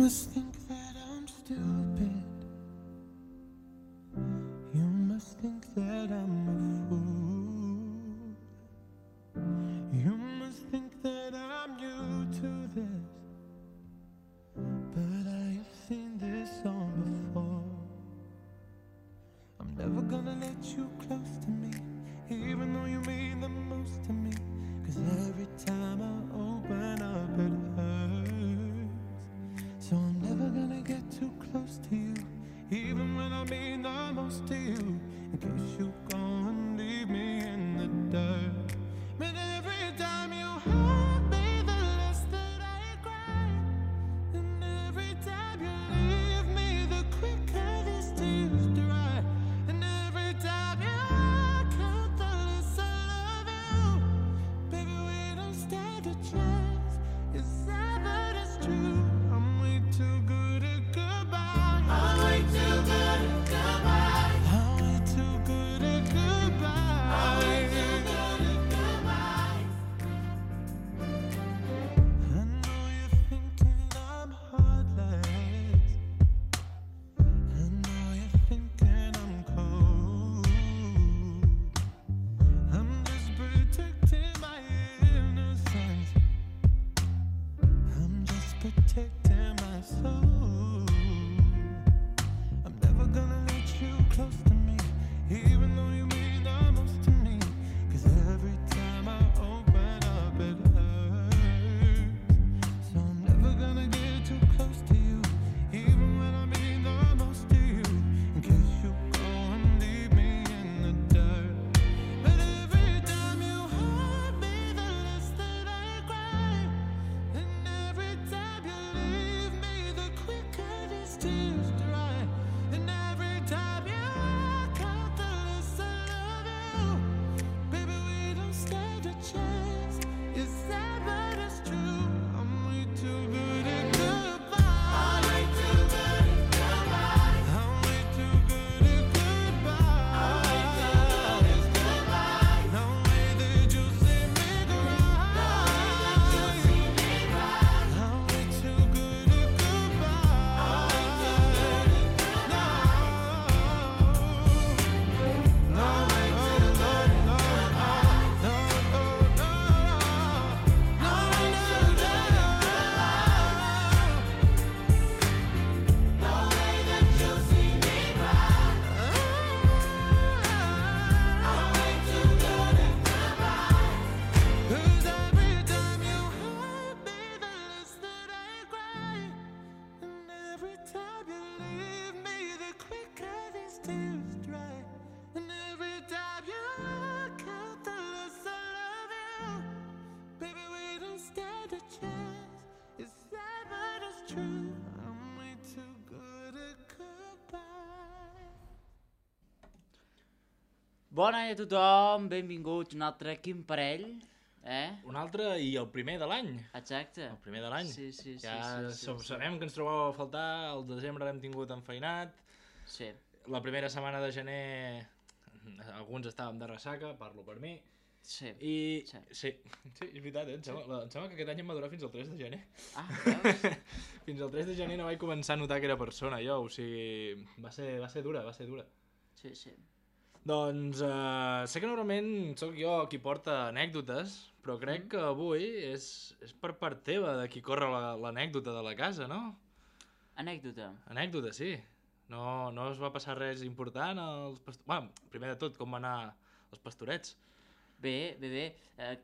must think that I'm stupid. You must think that I'm a fool. You must think that I'm new to this, but I have seen this song before. I'm never gonna let you close to me, even though you mean the most to me. 'Cause every time I open up it hurts. So I'm never gonna get too close to you, even when I mean the most to you. In case you go and leave me in the dirt. But every time you hurt me, the less that I cry. And every time you leave me, the quicker these tears dry. And every time you walk out, the less I love you. Baby, we don't stand a chance. It's sad, but it's true. I'm way too good at goodbye. I'm way too good at goodbye. I'm way too good at goodbye. I'm way too good at goodbye. I know you're thinking I'm heartless. I know you're thinking I'm cold. I'm just protecting my innocence. I'm just protecting my soul. I'm never gonna let you close to me, even though you mean the most to me. 'Cause every time I open up it hurts. So I'm never gonna get too close to you, even when I mean the most to you. In case you go and leave me in the dirt. But every time you hurt me, the less that I cry. And every time you leave me, the quicker these tears dry. And every time you walk out, the less I love you. Baby, we don't stand a chance. It's sad, but it's true. I'm way too good at goodbye. I'm way too good at goodbye. I'm way too good at goodbye. I'm way too good at goodbye. No way that you see me cry. No way that you see me cry. I'm way too good at goodbye. I'm way too good at goodbye. No, no, no, no, no, no, no, no, no way that you see me cry. I'm way too good at goodbye. 'Cause every time you hurt me, the less that I cry. And every time you leave me, the quicker these tears dry. And every time you walk out, the less I love you. Baby, we don't stand a chance. It's sad, but it's true. I'm way too good at goodbye. Bona nit a tothom, benvinguts a un altre Quin Parell, Un altre i el primer de l'any. Exacte. El primer de l'any. Sí, sí, sí. Ja sí. sabem que ens trobàveu a faltar, el desembre l'hem tingut enfeinat, Sí. la primera setmana de gener alguns estàvem de ressaca, parlo per mi, Sí. i Sí. sí, és veritat, em sembla que aquest any em va durar fins al 3 de gener. Ah, veus? Fins al 3 de gener no vaig començar a notar que era persona jo, o sigui, va ser dura. Sí, sí. Doncs sé que normalment sóc jo qui porta anècdotes, però crec que avui és per part teva de qui corre l'anècdota de la casa, no? Anècdota. Anècdota, sí. No es va passar res important als pastorets. Primer de tot, com va anar els pastorets? Bé,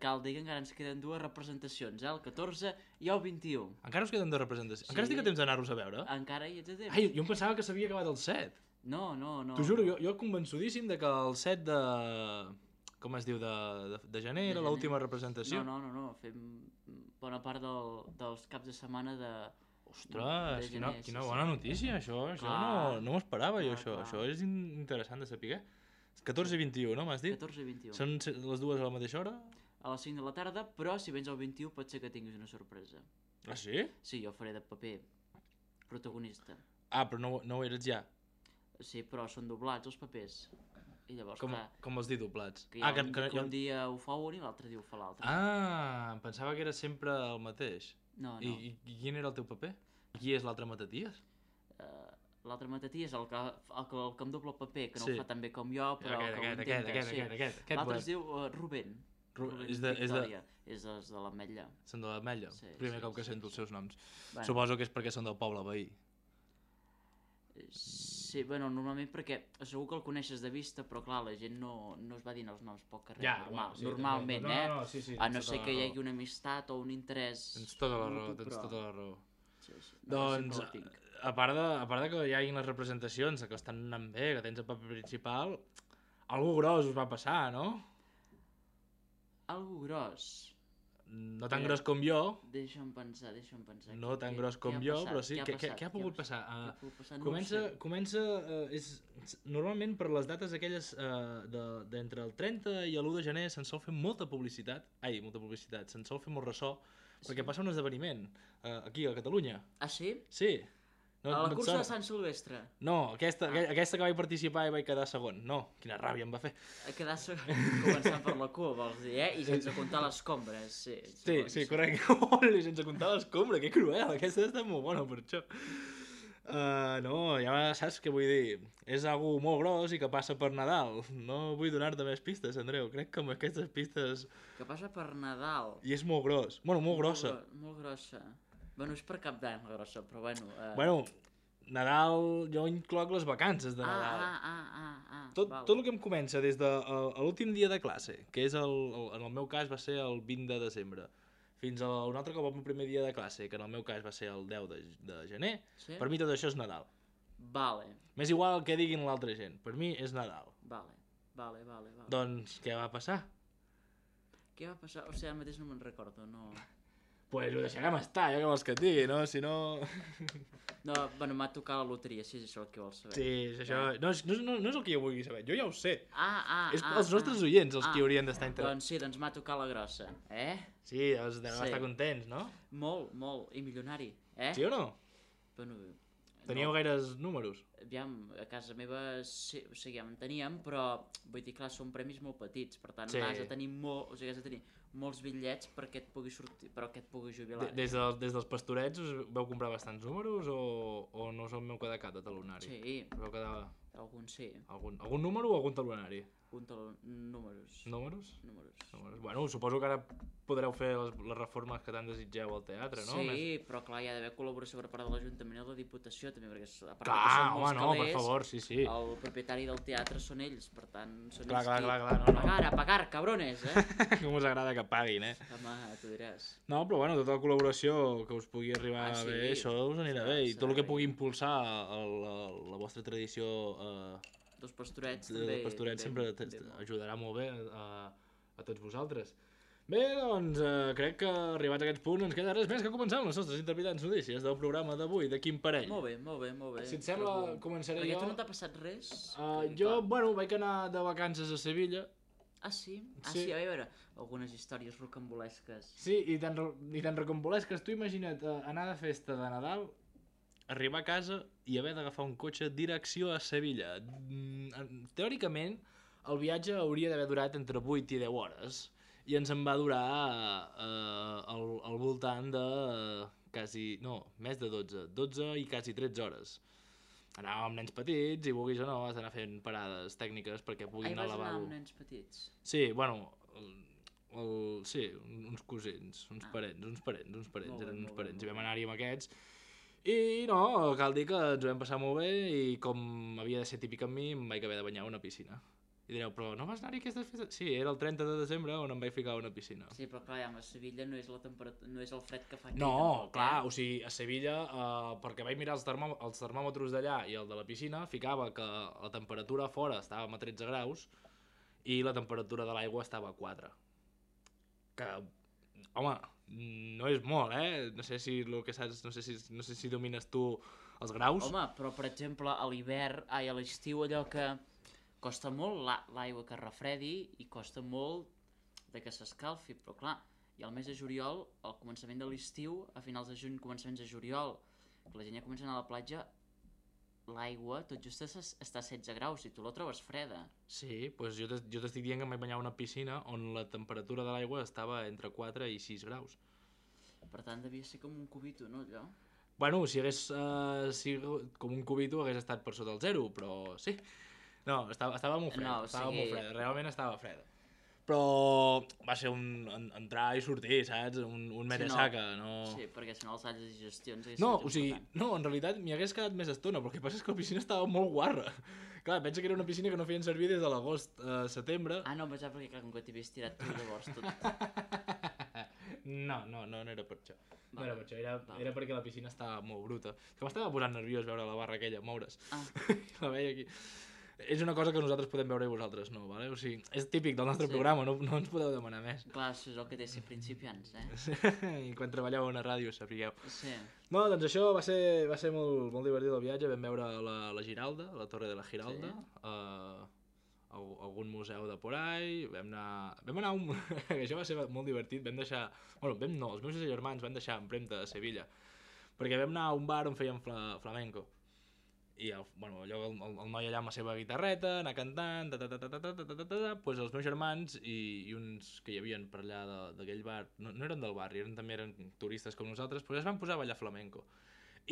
cal dir que encara ens queden dues representacions, el 14 i el 21. Encara us queden de representació? Sí. Encara estic a temps d'anar-los a veure? Encara hi ets a temps. Ai, jo em pensava que s'havia acabat el 7. No. T'ho juro, jo convençudíssim de que el 7 de... Com es diu? De gener era l'última representació. No. Fem bona part dels caps de setmana de... Ostres, de gener, quina sí, bona notícia, això Clar. no m'ho esperava jo, Clar. això és interessant de saber. 14 i 21, no m'has dit? 14 i 21. Són les dues a la mateixa hora? A les 5 de la tarda, però si vens el 21 pot ser que tinguis una sorpresa. Ah, sí? Sí, jo faré de paper protagonista. Ah, però no ho eres ja. Sí, però són doblats els papers. I llavors, clar, Com vols dir doblats? que hi ha un dia ho fa un i l'altre dia ho fa l'altre. Ah, em pensava que era sempre el mateix. No, no. I quin era el teu paper? Qui és l'altre Mataties? L'altre Matatí és el que em dobla el paper, que no Sí. ho fa tan bé com jo, però que ho intenta. Aquest L'altre es diu Rubén. Rubén és de- Victòria. És de l'Ametlla. Són de l'Ametlla? Sí, Primer sí, cop que sí, sento els seus noms. Bueno. Suposo que és perquè són del poble veí. Sí, bueno, normalment perquè segur que el coneixes de vista, però clar, la gent no es va dient els noms pel carrer, normalment, sí, a no ser que hi hagi una amistat o un interès Tens tota la raó, mutu, tens però- tota la raó. Sí, sí. No, Doncs, sempre el tinc. a part de que hi hagin les representacions, que estan anant bé, que tens el paper principal, algú gros us va passar, no? Algo gros. No tan gros com jo, Deixa'm pensar. no tan gros com jo, però sí. Què ha pogut passar? Què ha pogut passar? No ho Comença, sé. normalment per les dates aquelles d'entre el 30 i l'1 de gener se'n sol fer molta publicitat, se'n sol fer molt ressò, perquè passa un esdeveniment aquí a Catalunya. Ah, sí? Sí. A la et cursa sona? de Sant Silvestre. No, aquesta que vaig participar i vaig quedar segon. No, quina ràbia em va fer. A quedar començant per la cua, vols dir, I sense comptar les compres, sí. Sí, correcte. Oli, sense comptar l'escombra, que cruel. Aquesta està molt bona per això. No, ja saps què vull dir. És algú molt gros i que passa per Nadal. No vull donar-te més pistes, Andreu. Crec que amb aquestes pistes... Que passa per Nadal. I és molt gros. Bueno, molt grossa. Molt grossa. Bueno, és per Cap d'Any la grossa, però bueno... Bueno, Nadal, jo incloc les vacances de Nadal. Tot el que em comença des de l'últim dia de classe, que és en el meu cas va ser el 20 de desembre, fins a un altre cop el primer dia de classe, que en el meu cas va ser el 10 de gener, Sí? per mi tot això és Nadal. Vale. M'és igual el que diguin l'altra gent, per mi és Nadal. Vale. Doncs què va passar? Què va passar? O sigui, ara mateix no me'n recordo, no... Pues ho deixarem estar, ja que vols que et digui, no? Si no... No, bueno, m'ha tocat la loteria, si és això el que vols saber. Sí, és això... No és el que jo vulgui saber, jo ja ho sé. És els nostres ah. oients els que haurien d'estar interessats. Doncs sí, doncs m'ha tocat la grossa, Sí, deveu estar contents, no? Molt, i milionari, Sí o no? Bueno, Teníeu gaires números? Aviam, a casa meva sí, o sigui, ja en teníem, però vull dir, clar, són premis molt petits, per tant, has de tenir molts bitllets perquè et pugui sortir, però que et pugui jubilar. Des dels pastorets us veu comprar bastants números o no us en veu quedar cap de talonari? Sí, Veu quedar algun sí. Algun número o algun talonari? Números. Números? Bueno, suposo que ara podreu fer les reformes que tant desitgeu al teatre, no? Sí, però clar, hi ha d'haver col·laboració per part de l'Ajuntament i de la Diputació també, perquè a part Clar, que són molts home, no, per calés, favor, sí. el propietari del teatre són ells, per tant, són Clar, ells no. A pagar, cabrones, Com us agrada que paguin, Home, tu diràs. No, però bueno, tota la col·laboració que us pugui arribar sí, bé, això us anirà bé. I tot el que pugui impulsar la vostra tradició Dos pastorets sempre ajudarà molt bé a tots vosaltres. Bé, doncs, crec que arribats a aquest punt ens queda res més que començar amb les nostres interpretants notícies del programa d'avui, de Quim Parell. Molt bé. Si et sembla, començaré perquè jo. tu no t'ha passat res? Jo, vaig anar de vacances a Sevilla. Ah, sí? Sí. A veure, algunes històries rocambolesques. Sí, i tan rocambolesques. Tu imagina't anar de festa de Nadal, arribar a casa i haver d'agafar un cotxe direcció a Sevilla. Teòricament, el viatge hauria d'haver durat entre 8 i 10 hores i ens en va durar al voltant de més de 12 i quasi 13 hores. Anàvem amb nens petits i vulguis o no has d'anar fent parades tècniques perquè puguin anar al lavabo. Vas anar amb nens petits? Sí, bueno, uns cosins, uns parents, eren uns parents, i vam anar-hi amb aquests. I no, cal dir que ens ho vam passar molt bé i com havia de ser típic amb mi, em vaig haver de banyar a una piscina. I direu, però no vas anar-hi aquestes festes? Sí, era el 30 de desembre on em vaig ficar a una piscina. Sí, però clar, a Sevilla no és la temperatura, no és el fred que fa aquí. No, clar, o sigui, a Sevilla, perquè vaig mirar els termòmetres d'allà i el de la piscina, ficava que la temperatura fora estava a 13 graus i la temperatura de l'aigua estava a 4. Que, home, no és molt, No sé si el que saps, no sé si domines tu els graus. Home, però per exemple, a l'hivern, a l'estiu allò que costa molt l'aigua que es refredi i costa molt de que s'escalfi, però clar, i al mes de juliol, al començament de l'estiu, a finals de juny, començaments de juliol, que la gent ja comença a anar a la platja, l'aigua tot just està a 16 graus i tu la trobes freda. Sí, doncs jo t'estic dient que em vaig banyar a una piscina on la temperatura de l'aigua estava entre 4 i 6 graus. per tant devia ser com un cubito, no, allò? Bueno, si hagués sigut com un cubito hagués estat per sota el 0, però sí. No, estava molt freda, No, o estava sigui- molt freda, realment estava freda. Però va ser entrar i sortir, saps? Un mere saca, no... Sí, perquè si no els alls de digestions No, o sigui, no, en realitat m'hi hagués quedat més estona, però el que passa és que la piscina estava molt guarra. Clar, pensa que era una piscina que no feien servir des de l'agost a setembre. Ah, no, pensava perquè clar, com que t'havies tirat tu llavors tot... No era per això. No era per això, Val. era perquè la piscina estava molt bruta. Que m'estava posant nerviós veure la barra aquella moure's. Ah, La veia aquí. És una cosa que nosaltres podem veure i vosaltres no, vale? O sigui, és típic del nostre Sí. programa, no ens podeu demanar més. clar, això és el que té ser principiants, eh? I quan treballeu a una ràdio, sapigueu. Sí. No, doncs això va ser molt divertit el viatge. Vam veure la Giralda, la Torre de la Giralda, algun museu de por ahí, vam anar a un... això va ser molt divertit, vam deixar... Bueno, els meus germans van deixar empremta a Sevilla, perquè vam anar a un bar on feien flamenco. I el noi allà amb la seva guitarreta, anar cantant, pues els meus germans i uns que hi havien per allà d'aquell bar, no eren del barri, també eren turistes com nosaltres, pues es van posar a ballar flamenco.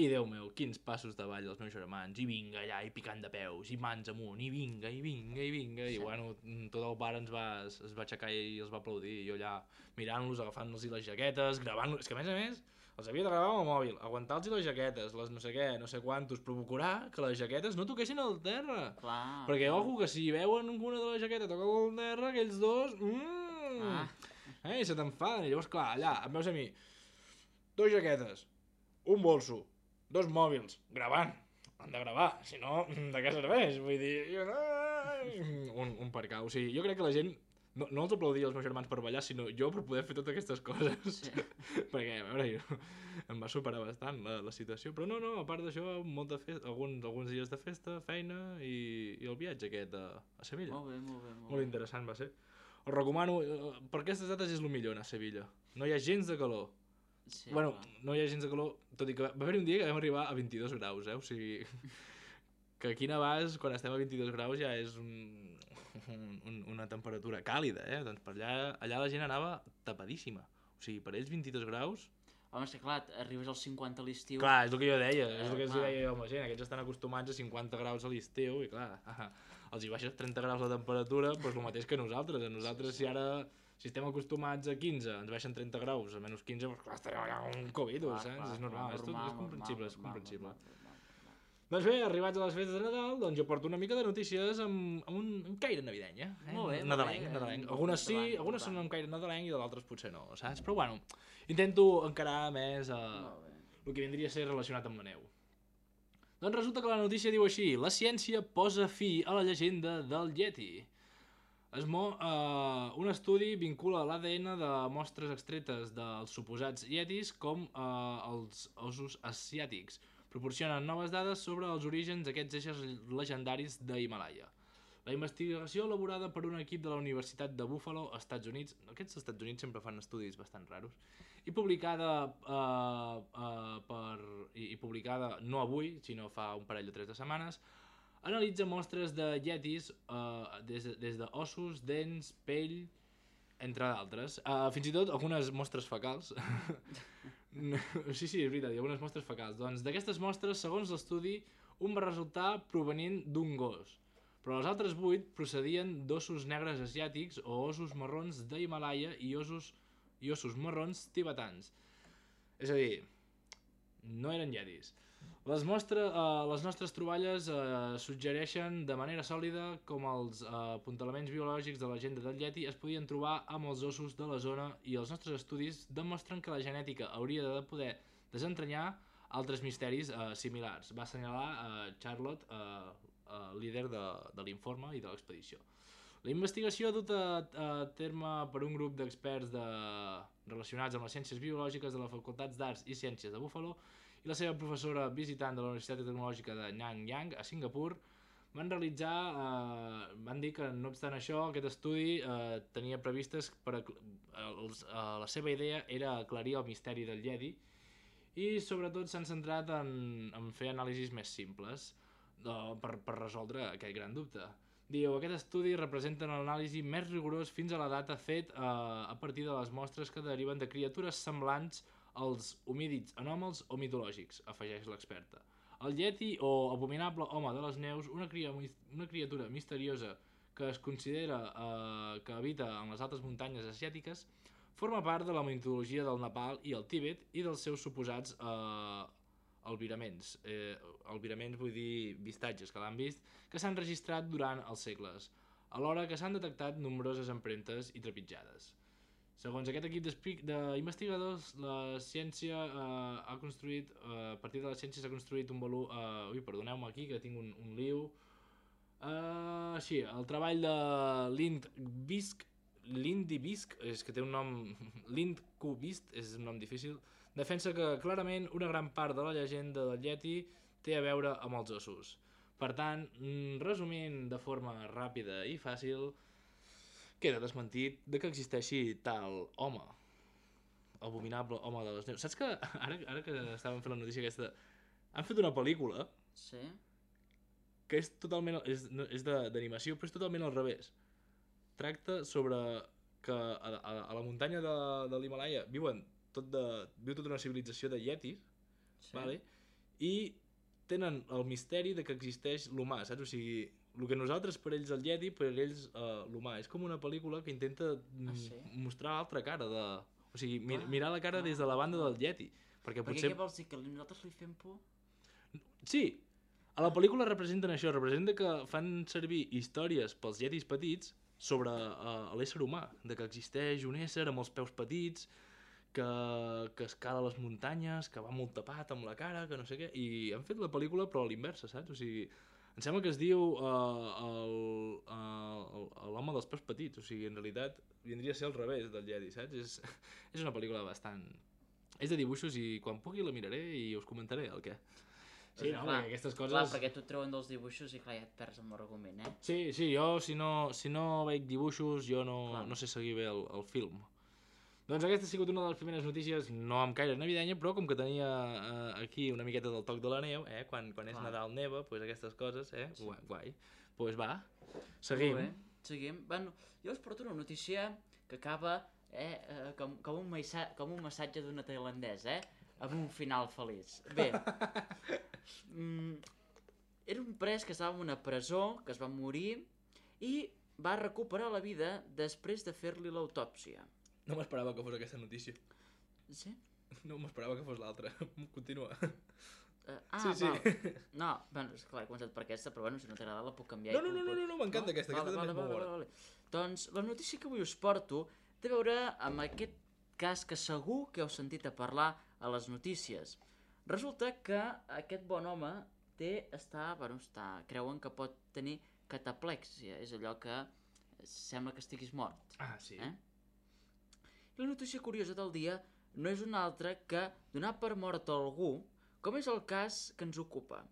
I Déu meu, quins passos de ball dels meus germans, i vinga allà, i picant de peus, i mans amunt, i vinga, i bueno, tot el bar es va aixecar i els va aplaudir, i jo allà mirant-los, agafant-los les jaquetes, gravant-los, és que a més, els havia de gravar amb el mòbil, aguantar-los les jaquetes, les no sé què, no sé quantos, procurar que les jaquetes no toquessin al terra. Clar. Perquè, ojo, que si veuen alguna de les jaquetes tocar al terra, aquells dos... I se t'enfaden. I llavors, clar, allà, em veus a mi, 2 jaquetes, un bolso, 2 mòbils, gravant. Han de gravar, si no, de què serveix? Vull dir... Un percau. O sigui, jo crec que la gent... No els aplaudia els meus germans per ballar, sinó jo per poder fer totes aquestes coses. Sí. Perquè, a veure, em va superar bastant la situació. Però no, a part d'això, alguns dies de festa, feina i el viatge aquest a Sevilla. Molt bé. Molt interessant va ser. Us recomano, per aquestes dates és el millor anar a Sevilla. No hi ha gens de calor. Sí, Bueno, clar. no hi ha gens de calor, tot i que va haver un dia que vam arribar a 22 graus, o sigui... Que aquí a Navàs, quan estem a 22 graus, ja és una temperatura càlida, Doncs per allà la gent anava tapadíssima. O sigui, per ells 22 graus... Home, és que clar, arribes als 50 a l'estiu... Clar, és el que jo deia, és el que els clar. deia jo amb la gent. Aquests estan acostumats a 50 graus a l'estiu i clar, els hi baixes 30 graus la temperatura, doncs el mateix que nosaltres. A nosaltres, si estem acostumats a 15, ens baixen 30 graus, a menys 15, doncs clar, estarem allà amb un Covid, saps? És normal, és comprensible, és comprensible. Doncs bé, arribats a les festes de Nadal, doncs jo porto una mica de notícies amb un caire navidenc, Molt bé, nadalenc. Algunes sí, algunes són amb caire nadalenc i d'altres potser no, saps? Però bueno, intento encarar més el que vindria a ser relacionat amb la neu. Doncs resulta que la notícia diu així: la ciència posa fi a la llegenda del Yeti. Un estudi vincula l'ADN de mostres extretes dels suposats Yetis com els ossos asiàtics. Proporcionen noves dades sobre els orígens d'aquests éssers legendaris d'Himalaya. La investigació elaborada per un equip de la Universitat de Buffalo, Estats Units, aquests Estats Units sempre fan estudis bastant raros, i publicada publicada no avui, sinó fa un parell o 3 de setmanes, analitza mostres de Yetis des d'ossos, dents, pell, entre d'altres. Fins i tot algunes mostres fecals. Sí, és veritat, hi ha algunes mostres fecals. Doncs d'aquestes mostres, segons l'estudi, un va resultar provenint d'un gos, però les altres 8 procedien d'ossos negres asiàtics o ossos marrons d'Himalaya i ossos marrons tibetans. És a dir, no eren Yetis. Les nostres troballes suggereixen de manera sòlida com els apuntalaments biològics de la llegenda del Yeti es podien trobar amb els ossos de la zona i els nostres estudis demostren que la genètica hauria de poder desentranyar altres misteris similars, va assenyalar Charlotte, líder de l'informe i de l'expedició. La investigació duta a terme per un grup d'experts relacionats amb les ciències biològiques de les facultats d'Arts i Ciències de Buffalo i la seva professora visitant de la Universitat Tecnològica de Nanyang, a Singapur, van dir que, no obstant això, aquest estudi tenia previstes la seva idea era aclarir el misteri del Yeti i sobretot s'han centrat en fer anàlisis més simples per resoldre aquest gran dubte. Diu, aquest estudi representa un anàlisi més rigorós fins a la data fet a partir de les mostres que deriven de criatures semblants els homínids anòmals o mitològics, afegeix l'experta. El Yeti, o abominable home de les neus, una criatura misteriosa que es considera que habita en les altes muntanyes asiàtiques, forma part de la mitologia del Nepal i el Tíbet i dels seus suposats albiraments. Albiraments vull dir vistatges que l'han vist, que s'han registrat durant els segles, alhora que s'han detectat nombroses empremtes i trepitjades. Segons aquest equip d'investigadors, la ciència ha construït, a partir de la ciència s'ha construït un volum... perdoneu-me aquí, que tinc un lío. El treball de Lindy Bisk, és que té un nom... Lindqvist, és un nom difícil, defensa que clarament una gran part de la llegenda del Yeti té a veure amb els ossos. Per tant, resumint de forma ràpida i fàcil, queda desmentit de que existeixi tal home, abominable home de les neus. Saps que, ara que estàvem fent la notícia aquesta, han fet una pel·lícula Sí? que és totalment, és d'animació, però és totalment al revés. Tracta sobre que a la muntanya de l'Himalaya viu tota una civilització de yetis, Sí. vale? I tenen el misteri de que existeix l'humà, saps? O sigui, el que nosaltres per ells el Yeti, per ells l'humà. És com una pel·lícula que intenta mostrar l'altra cara de... O sigui, mirar la cara des de la banda del Yeti. Perquè què vols dir, que nosaltres li fem por? Sí, a la pel·lícula representen això, representa que fan servir històries pels Yetis petits sobre l'ésser humà, de que existeix un ésser amb els peus petits, que escala les muntanyes, que va molt tapat amb la cara, que no sé què, i han fet la pel·lícula però a l'inversa, saps? O sigui, em sembla que es diu l'home dels peus petits, o sigui, en realitat vindria a ser al revés del Yeti, saps? És una pel·lícula bastant... És de dibuixos i quan pugui la miraré i us comentaré el què. Sí, no, perquè aquestes coses... Clar, perquè tu et treuen dels dibuixos i clar, ja et perds amb l'argument, eh? Sí, jo si no veig dibuixos jo no sé seguir bé el film. Doncs aquesta ha sigut una de les primeres notícies, no amb caire navidenya, però com que tenia aquí una miqueta del toc de la neu, quan és Nadal neva, doncs aquestes coses, Sí. guai. Doncs va, seguim. Molt bé, seguim. Bueno, jo us porto una notícia que acaba com un massatge d'una tailandesa, amb un final feliç. Bé, era un pres que estava en una presó, que es va morir i va recuperar la vida després de fer-li l'autòpsia. No m'esperava que fos aquesta notícia. Sí? No m'esperava que fos l'altra. Continua. Sí. No, bueno, esclar, he començat per aquesta, però bueno, si no t'agrada la puc canviar. No, m'encanta aquesta també és molt bona. Doncs la notícia que avui us porto té a veure amb aquest cas que segur que heu sentit a parlar a les notícies. Resulta que aquest bon home creuen que pot tenir cataplèxia, és allò que sembla que estiguis mort. Ah, sí. La notícia curiosa del dia no és una altra que donar per mort a algú, com és el cas que ens ocupa,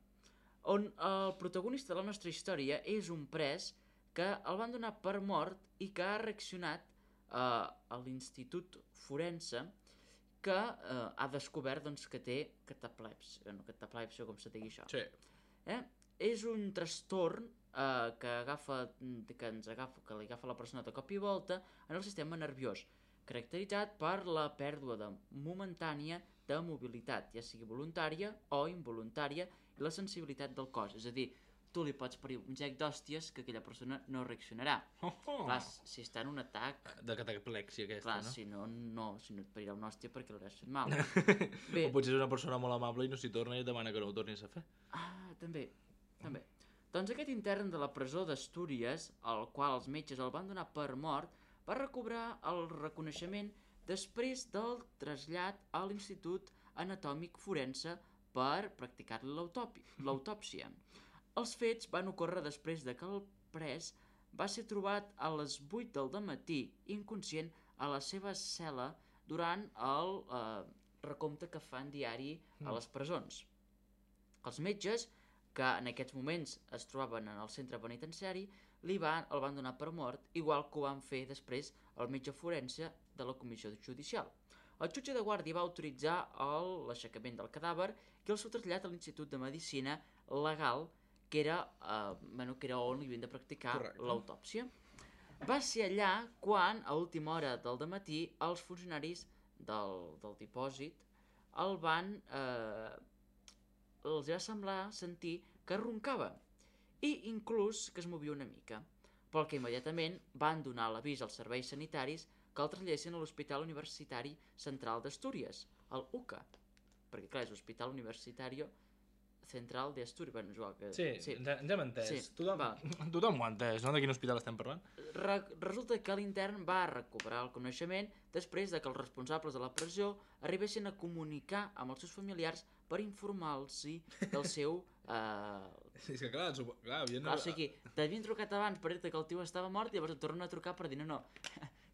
on el protagonista de la nostra història és un pres que el van donar per mort i que ha reaccionat a l'institut forense que ha descobert que té cataplèpsia, com se digui això. Sí. És un trastorn que li agafa la persona de cop i volta en el sistema nerviós, caracteritzat per la pèrdua momentània de mobilitat, ja sigui voluntària o involuntària, i la sensibilitat del cos. És a dir, tu li pots parir un gec d'hòsties que aquella persona no reaccionarà. Clar, si està en un atac... De cataplèxia aquesta, clar, no? si no et parirà una hòstia perquè l'hauràs fet mal. O potser és una persona molt amable i no s'hi torna i et demana que no ho tornis a fer. També. Doncs aquest intern de la presó d'Astúries, al qual els metges el van donar per mort, va recobrar el reconeixement després del trasllat a l'Institut Anatòmic Forense per practicar-li l'autòpsia. Els fets van ocórrer després de que el pres va ser trobat a les 8 del dematí inconscient a la seva cel·la durant el recompte que fan diari a les presons. Els metges, que en aquests moments es trobaven en el centre penitenciari, el van donar per mort, igual que ho van fer després el metge forense de la comissió judicial. El jutge de guàrdia va autoritzar l'aixecament del cadàver i el seu trasllat a l'Institut de Medicina Legal, que era on li havien de practicar l'autòpsia. Va ser allà quan, a última hora del dematí, els funcionaris del dipòsit el van... els va semblar sentir que roncava i inclús que es movia una mica, pel que immediatament van donar l'avís als serveis sanitaris que el traslladessin a l'Hospital Universitari Central d'Astúries, el UCA, perquè clar, és l'Hospital Universitario Central d'Astúries, bueno, igual que... Sí, ens hem entès. Sí, Tothom ho ha entès, no? De quin hospital estem parlant? Resulta que l'intern va recuperar el coneixement després de que els responsables de la presó arribessin a comunicar amb els seus familiars per informar-los del seu... És que clar, havien... O sigui, t'havien trucat abans per dir-te que el tio estava mort i llavors et tornen a trucar per dir no,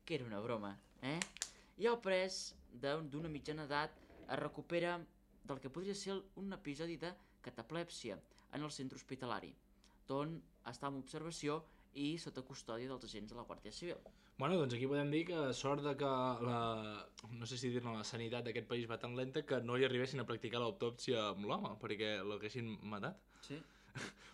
que era una broma, I el pres d'una mitjana edat es recupera del que podria ser un episodi de cataplèpsia en el centre hospitalari, d'on està en observació i sota custòdia dels agents de la Guàrdia Civil. Bueno, doncs aquí podem dir que sort de que no sé si dir-ne, la sanitat d'aquest país va tan lenta que no li arribessin a practicar l'autòpsia amb l'home, perquè l'haguessin matat. Sí.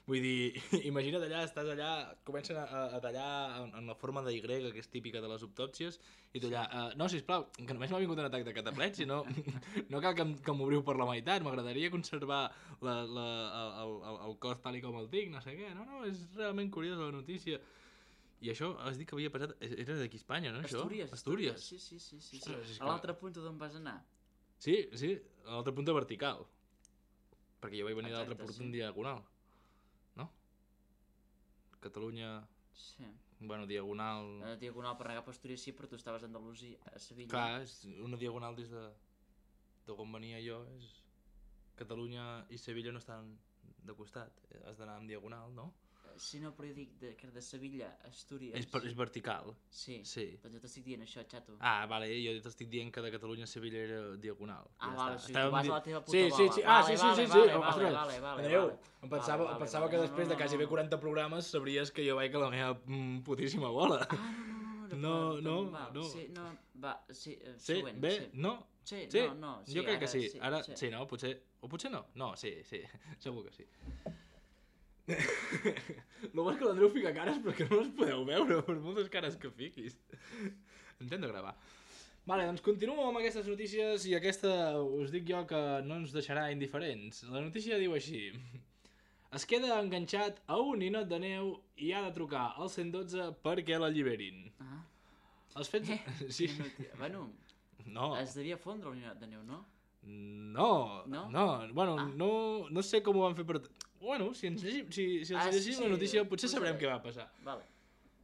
Vull dir, imagina't allà, estàs allà, comencen a tallar en la forma de Y, que és típica de les autòpsies, i tu allà, no, sisplau, que només m'ha vingut un atac de cataplèpsia, no cal que m'obriu per la meitat, m'agradaria conservar el cos tal com el tinc, no sé què, no, és realment curiosa la notícia. I això, has dit que havia passat, era d'aquí a Espanya, no, això? Astúries. Sí. A l'altre punt d'on vas anar? Sí, a l'altre punt vertical, perquè jo vaig venir de l'altre punt en diagonal. Catalunya... Sí. Bueno, diagonal... Diagonal per anar cap a Astúries sí, però tu estaves a Andalusia, a Sevilla. Clar, és una diagonal des de on venia jo, és... Catalunya i Sevilla no estan de costat, has d'anar en diagonal, no? Sí, no, però jo dic que de Sevilla a Astúries... És vertical? Sí. Doncs jo t'estic dient això, xato. Ah, vale, jo t'estic dient que de Catalunya a Sevilla era diagonal. Ah, vale, o sigui, tu vas a la teva puta Sí. bola. Sí. Vale. Adéu. Em pensava que després de quasi 40 programes sabries que jo vaig a la meva putíssima bola. No. Sí, no, va, sí, sí, següent. Bé, no? Sí, no. Jo crec que sí. Ara, sí, no? Potser... O potser no? No, sí, segur que sí. Lo bo és que l'Andreu fica cares però que no les podeu veure per moltes cares que fiquis. Intento gravar. Vale, doncs continuo amb aquestes notícies i aquesta us dic jo que no ens deixarà indiferents. La notícia diu així: es queda enganxat a un ninot de neu i ha de trucar al 112 perquè l'alliberin. Els fets... Sí. Bueno, no. Es devia fondre el ninot de neu, no? No. Bueno, no sé com ho van fer per... Bueno, si ens llegim la notícia potser sabrem què va passar. Vale.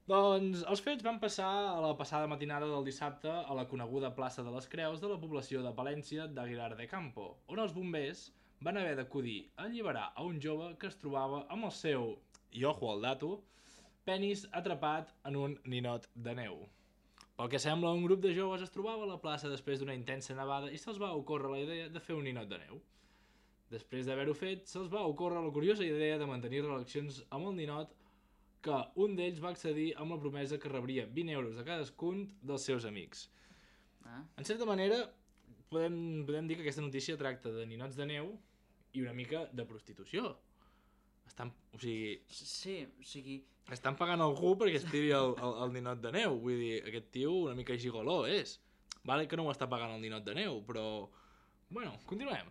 Doncs els fets van passar a la passada matinada del dissabte a la coneguda plaça de les Creus de la població de Palència d'Aguilar de Campo, on els bombers van haver d'acudir a alliberar a un jove que es trobava amb el seu, i ojo al dato, penis atrapat en un ninot de neu. Pel que sembla, un grup de joves es trobava a la plaça després d'una intensa nevada i se'ls va ocórrer la idea de fer un ninot de neu. Després d'haver-ho fet, se'ls va ocórrer la curiosa idea de mantenir relacions amb el ninot, que un d'ells va accedir amb la promesa que rebria 20 euros de cadascun dels seus amics. En certa manera, podem dir que aquesta notícia tracta de ninots de neu i una mica de prostitució. Estan pagant algú perquè es tiri el ninot de neu. Vull dir, aquest tio una mica gigoló és. Vale que no ho està pagant el ninot de neu, però... Bueno, continuem.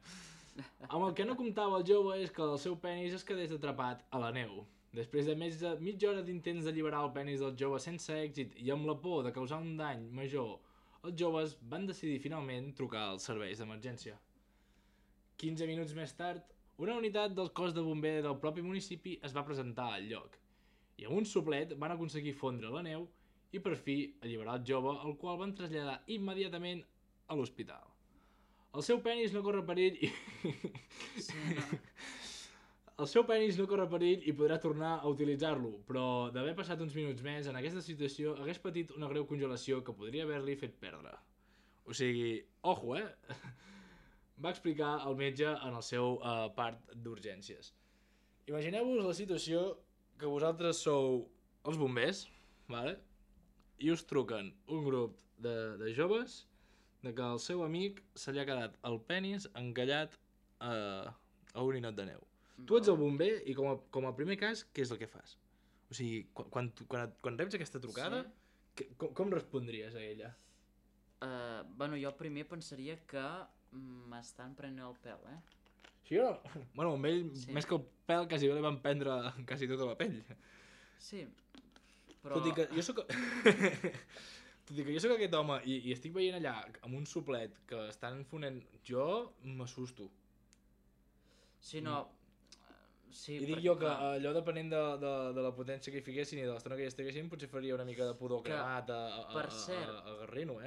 Amb el que no comptava el jove és que el seu penis es quedés atrapat a la neu. Després de més de mitja hora d'intents d'alliberar el penis del jove sense èxit i amb la por de causar un dany major, els joves van decidir finalment trucar als serveis d'emergència. 15 minuts més tard, una unitat del cos de bomber del propi municipi es va presentar al lloc, i amb un soplet van aconseguir fondre la neu i per fi alliberar el jove, el qual van traslladar immediatament a l'hospital. El seu penis no corre perill i... El seu penis no corre perill i podrà tornar a utilitzar-lo, però d'haver passat uns minuts més en aquesta situació hagués patit una greu congelació que podria haver-li fet perdre. O sigui, ojo, va explicar el metge en el seu part d'urgències. Imagineu-vos la situació que vosaltres sou els bombers, vale? I us truquen un grup de joves de que el seu amic se li ha quedat el penis encallat a un ninot de neu. Tu ets el bomber i com a primer cas, què és el que fas? O sigui, quan reps aquesta trucada, com respondries a ella? Bueno, jo primer pensaria que m'estan prenent el pèl, Sí o no? Bueno, amb ell, Sí. més que el pèl, quasi bé li van prendre quasi tota la pell. Sí, però... Tot i que jo sóc... Tot i que jo sóc aquest home i estic veient allà amb un suplet que estan fonent... Jo m'assusto. Sí, no... Sí, I dic perquè, jo que clar, allò depenent de la potència que hi fiquessin i de l'estona que hi estiguessin, potser faria una mica de pudor Que, cremat per cert, a Garrino,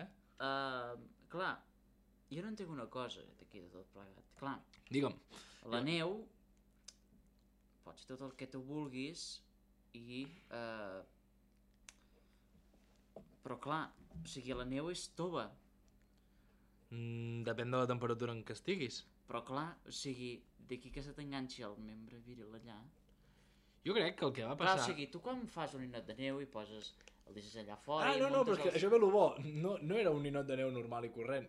clar, jo no entenc una cosa d'aquí de tot plegat. Clar, Digue'm. la neu pot ser tot el que tu vulguis i... però clar, o sigui, la neu és tova. Depèn de la temperatura en què estiguis. Però clar, o sigui, d'aquí que se t'enganxi el membre viril allà... Jo crec que el que va Clar, passar... o sigui, tu quan fas un ninot de neu i poses... el deixes allà fora i no, però és que els... això ve lo bo. No era un ninot de neu normal i corrent.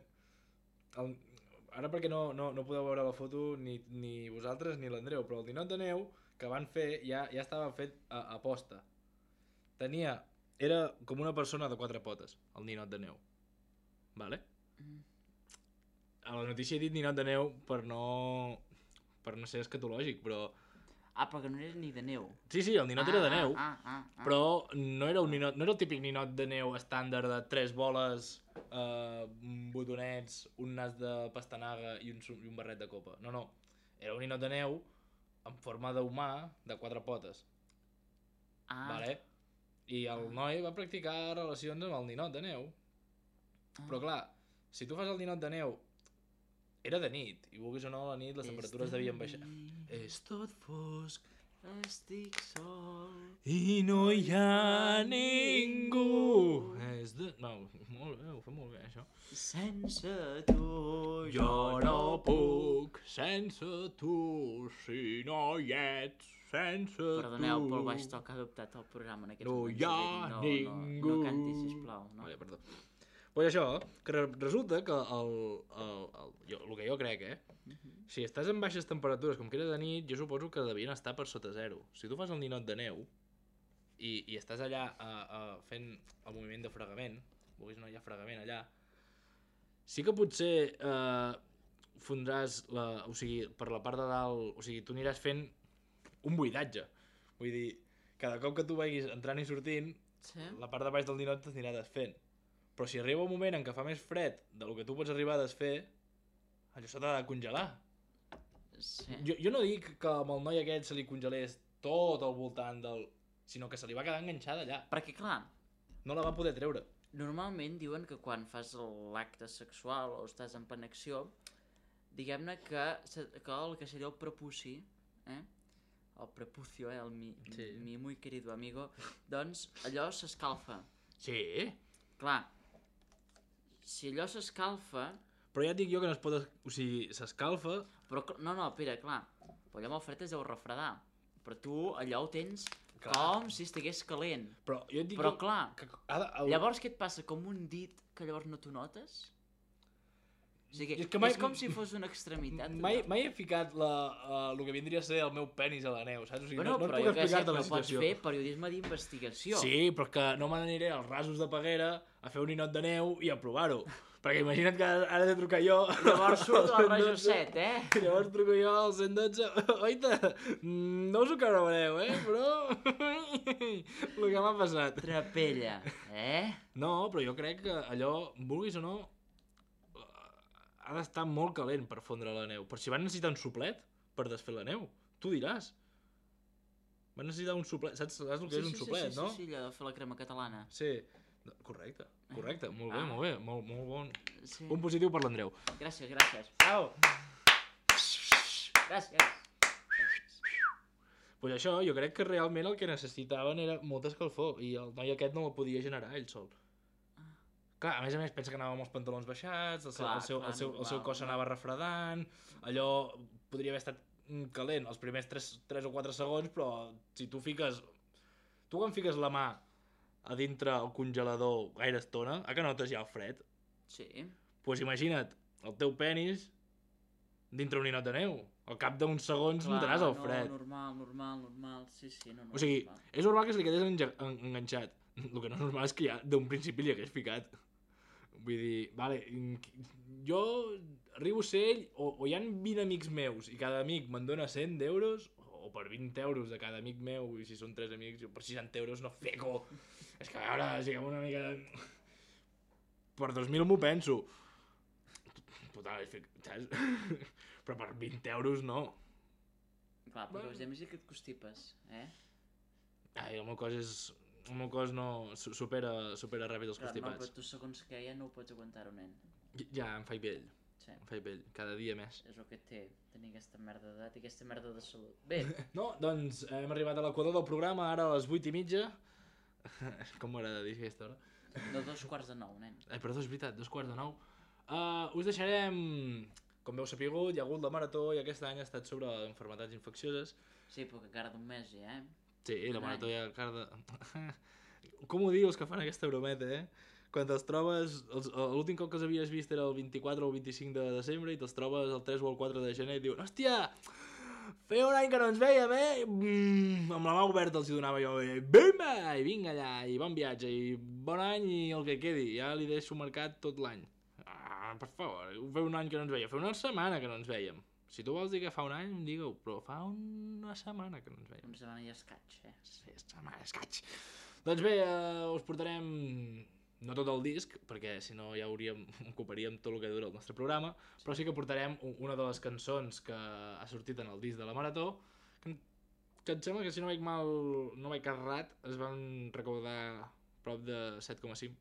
Ara perquè no podeu veure la foto ni vosaltres ni l'Andreu, però el ninot de neu que van fer ja estava fet a posta. Era com una persona de 4 potes, el ninot de neu. Vale? A la notícia he dit ninot de neu per no ser escatològic, però... Ah, però que no era ni de neu. Sí, el ninot era de neu, Ah. però no era un ninot, no era el típic ninot de neu estàndard de 3 boles, botonets, un nas de pastanaga i un barret de copa. No. Era un ninot de neu en forma d'humà de 4 potes. Vale? I el noi va practicar relacions amb el ninot de neu. Però clar, si tu fas el ninot de neu, era de nit, i vulguis o no, a la nit les temperatures devien baixar. És tot fosc, estic sol... i no hi ha ningú. No, molt bé, ho fem molt bé, això. Sense tu Jo no puc sense tu, si no hi ets sense Perdoneu tu. pel baix to que ha adoptat el programa en aquests No moments. hi ha ningú. No canti, sisplau. No? Vale, perdó. Pues això, que resulta que el que jo crec, si estàs en baixes temperatures com que era de nit, jo suposo que devien estar per sota zero. Si tu fas el ninot de neu i estàs allà fent el moviment de fregament, vulguis o no hi ha fregament allà, sí que potser fondràs, o sigui, per la part de dalt, o sigui, tu aniràs fent un buidatge. Vull dir, cada cop que tu vagis entrant i sortint, Sí? la part de baix del ninot t'anirà desfent. Però si arriba un moment en què fa més fred del que tu pots arribar a desfer, allò s'ha de congelar. Sí. Jo no dic que amb el noi aquest se li congelés tot al voltant sinó que se li va quedar enganxada allà. Perquè, clar, No la va poder treure. normalment diuen que quan fas l'acte sexual o estàs en penexió, diguem-ne que el que seria el prepuci, el prepucio, mi muy querido amigo, doncs allò s'escalfa. Sí, Clar, si allò s'escalfa... però ja et dic jo que no es pot... O sigui, s'escalfa... Però, no, espera, clar, però allò amb el fred es deu refredar. Però tu allò ho tens Clar. com si estigués calent. Però jo et dic Però clar, llavors... llavors què et passa? Com un dit que llavors no t'ho notes? O sigui, És que mai- és com si fos una extremitat. Mai he ficat el que vindria a ser el meu penis a la neu, saps? O sigui, Bueno, no però et jo puc què sé, explicar-te però la pots situació. fer periodisme d'investigació. Sí, però que no me n'aniré als rasos de Peguera a fer un ninot de neu i a provar-ho. Perquè imagina't que ara he de trucar jo... Llavors surt al el rajo 112, 7, I llavors truco jo al 112. Oita, no us ho creureu, però... el que m'ha passat. Trapella, No, però jo crec que allò, vulguis o no, ha d'estar molt calent per fondre la neu. Per si van necessitar un suplet per desfer la neu. Tu diràs. Van necessitar un suplet. Saps el que és un suplet, no? Sí, allò de fer la crema catalana. Sí. Correcte. Molt bé, molt bé. Molt bon. Sí. Un positiu per l'Andreu. Gràcies. Bravo. Gràcies. Pues això, jo crec que realment el que necessitaven era molta escalfor i el noi aquest no la podia generar ell sol. Clar, a més, pensa que anava amb els pantalons baixats, el seu cos s'anava refredant, allò podria haver estat calent els primers 3 o 4 segons, però si tu fiques... Tu quan fiques la mà a dintre el congelador gaire estona, que notes ja el fred? Sí. Pues imagina't el teu penis dintre un ninot de neu. Al cap d'uns segons notaràs el fred. Normal. Sí, no. O sigui, és normal que se li quedés enganxat. El que no és normal és que ja d'un principi li hagués ficat. Vull dir, vale, jo arribo a ser ell, o hi ha 20 amics meus i cada amic me'n dona 100 euros, o per 20 euros de cada amic meu, i si són 3 amics, jo per 60 euros no feco. És que a veure, siguem una mica... Per 2.000 m'ho penso. Total, saps? Però per 20 euros no. Clar, perquè els amics que et constipes, eh? Ai, el meu cos és... El meu cos no supera ràpid els Clar, no, constipats. però tu segons què ja no ho pots aguantar-ho, nen. Ja, em faig vell. Sí. Em faig vell, cada dia més. És el que té, tenir aquesta merda d'edat i aquesta merda de salut. Bé, No, doncs hem arribat a l'equador del programa, ara a les 8:30. Com m'agrada dir aquesta hora. de 8:45, nen. Perdó, és veritat, 8:45. Us deixarem, com veu sapigut, hi ha hagut la marató i aquest any ha estat sobre malalties infeccioses. Sí, però que cara d'un mes ja, eh? Sí, la marató hi ha cara de... Com ho dius que fan aquesta brometa, eh? Quan te'ls trobes, l'últim cop que els havies vist era el 24 o el 25 de desembre i te'ls trobes el 3 o el 4 de gener i diuen, hòstia, feia un any que no ens veiem, eh? Amb la mà oberta els hi donava jo, bimba, i vinga allà, i bon viatge, i bon any i el que quedi, ja li deixo marcat tot l'any. Per favor, fa un any que no ens veiem, fa una setmana que no ens veiem. Si tu vols dir que fa un any, digue-ho, però fa una setmana que no ens veiem. Una setmana i escaig, eh? Sí, setmana escaig. Doncs bé, us portarem, no tot el disc, perquè si no ja ocuparíem tot el que dura el nostre programa, però sí que portarem una de les cançons que ha sortit en el disc de la Marató, que em sembla que si no vaig errat, es van recaudar prop de 7,5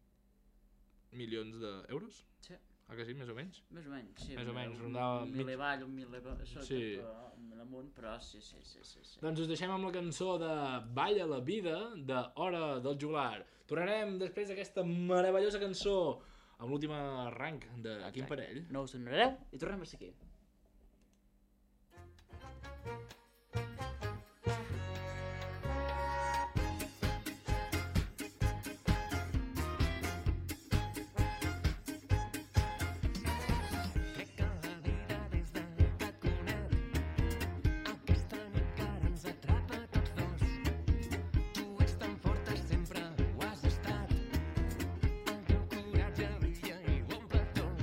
milions d'euros. Sí. Ah, que sí, més o menys? Més o menys, sí. Més o menys, rondava... Un mil avall, un mil sota, Sí. un mil amunt, però sí. Doncs us deixem amb la cançó de Balla la vida, de Hora del Joglar. Tornarem després d'aquesta meravellosa cançó amb l'últim arranc de Quim Parell. No us donareu i tornem a ser aquí. Crec que la vida des de que et conec aquesta nit que ara ens atrapa a tots dos. Tu ets tan forta, sempre ho has estat. El teu coratge brilla i ho omple tot.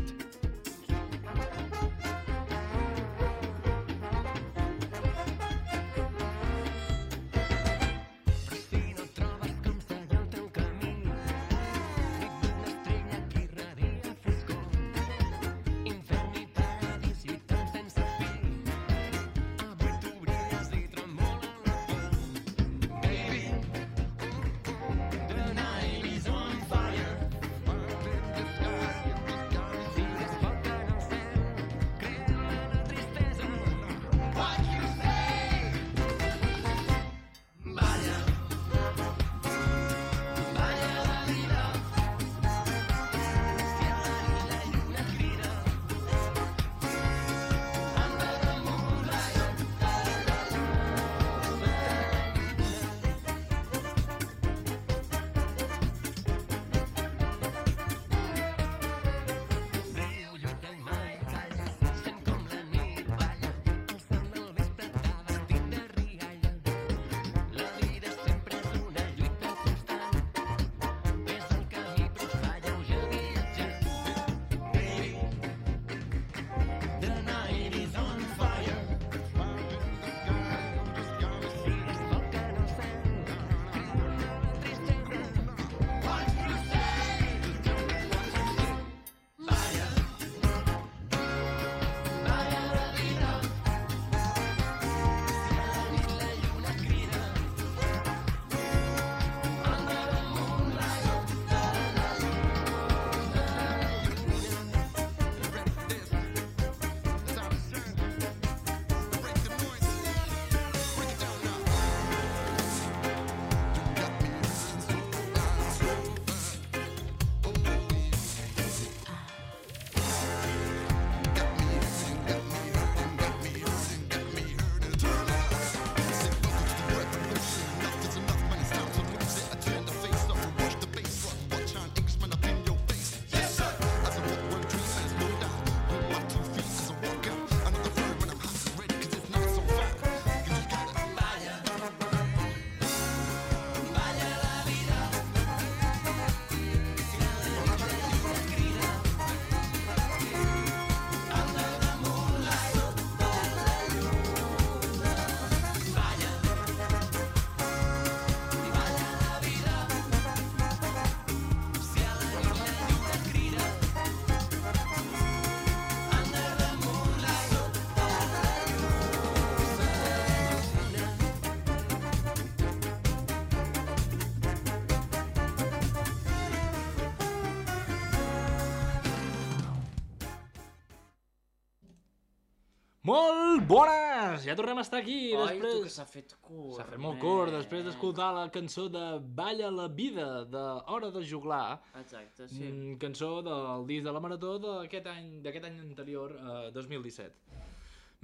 Molt bones! Ja tornem a estar aquí. Oi, tu que Després... s'ha fet curt. S'ha fet molt curt, després d'escoltar la cançó de Balla la vida, de Hora de Juglar, Exacte, sí. cançó del disc de la Marató d'aquest any anterior, 2017.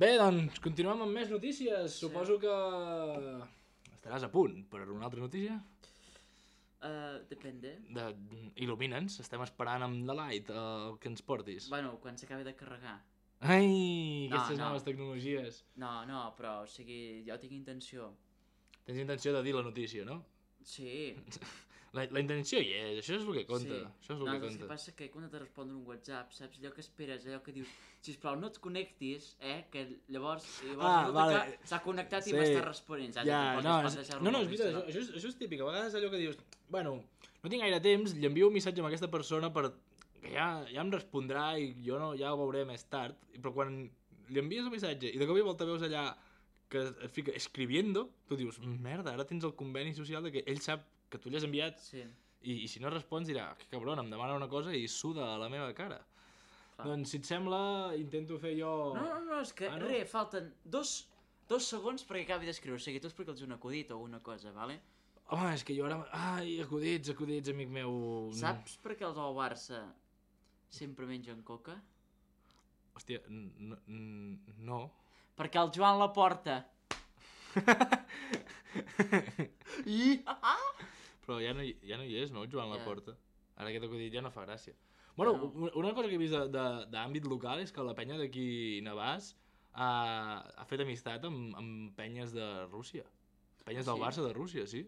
Bé, doncs, continuem amb més notícies. Sí. Suposo que estaràs a punt per una altra notícia. Depende. Il·lumina'ns, estem esperant amb la light que ens portis. Bueno, quan s'acabi de carregar. Ai, No, aquestes no. noves tecnologies. No, però, o sigui, jo tinc intenció. Tens intenció de dir la notícia, no? Sí. La intenció hi és, això és el que compta. Sí. Això és el No, que és que compta. passa que quan te respondre un WhatsApp, saps allò que esperes, allò que dius, sisplau, no et connectis, que llavors resulta vale. que s'ha connectat Sí. i m'està responent, saps? Ja, I no, poses és passejar-lo veritat, a la això és típic. A vegades allò que dius, bueno, no tinc gaire temps, li envio un missatge a aquesta persona que ja em respondrà i jo no, ja ho veuré més tard, però quan li envies el missatge i de cop i volta veus allà que et fica escribiendo, tu dius, merda, ara tens el conveni social de que ell sap que tu li has enviat Sí, i si no respons dirà, que cabron, em demana una cosa i suda a la meva cara. clar. Doncs si et sembla, intento fer jo... No, és que, Ah, no? falten dos segons perquè acabi d'escriure, o sigui, tu explica'ls un acudit o una cosa, vale? Home, és que jo ara... Ai, acudits, amic meu... Saps per què els del Barça sempre mengen coca? Hòstia, no. Perquè el Joan la porta. Però ja no hi és, no, Joan Ja. Laporta? Ara aquest acudit ja no fa gràcia. Bueno, una cosa que he vist d'àmbit local és que la penya d'aquí Navàs ha fet amistat amb penyes de Rússia. Penyes del Sí? Barça de Rússia, sí.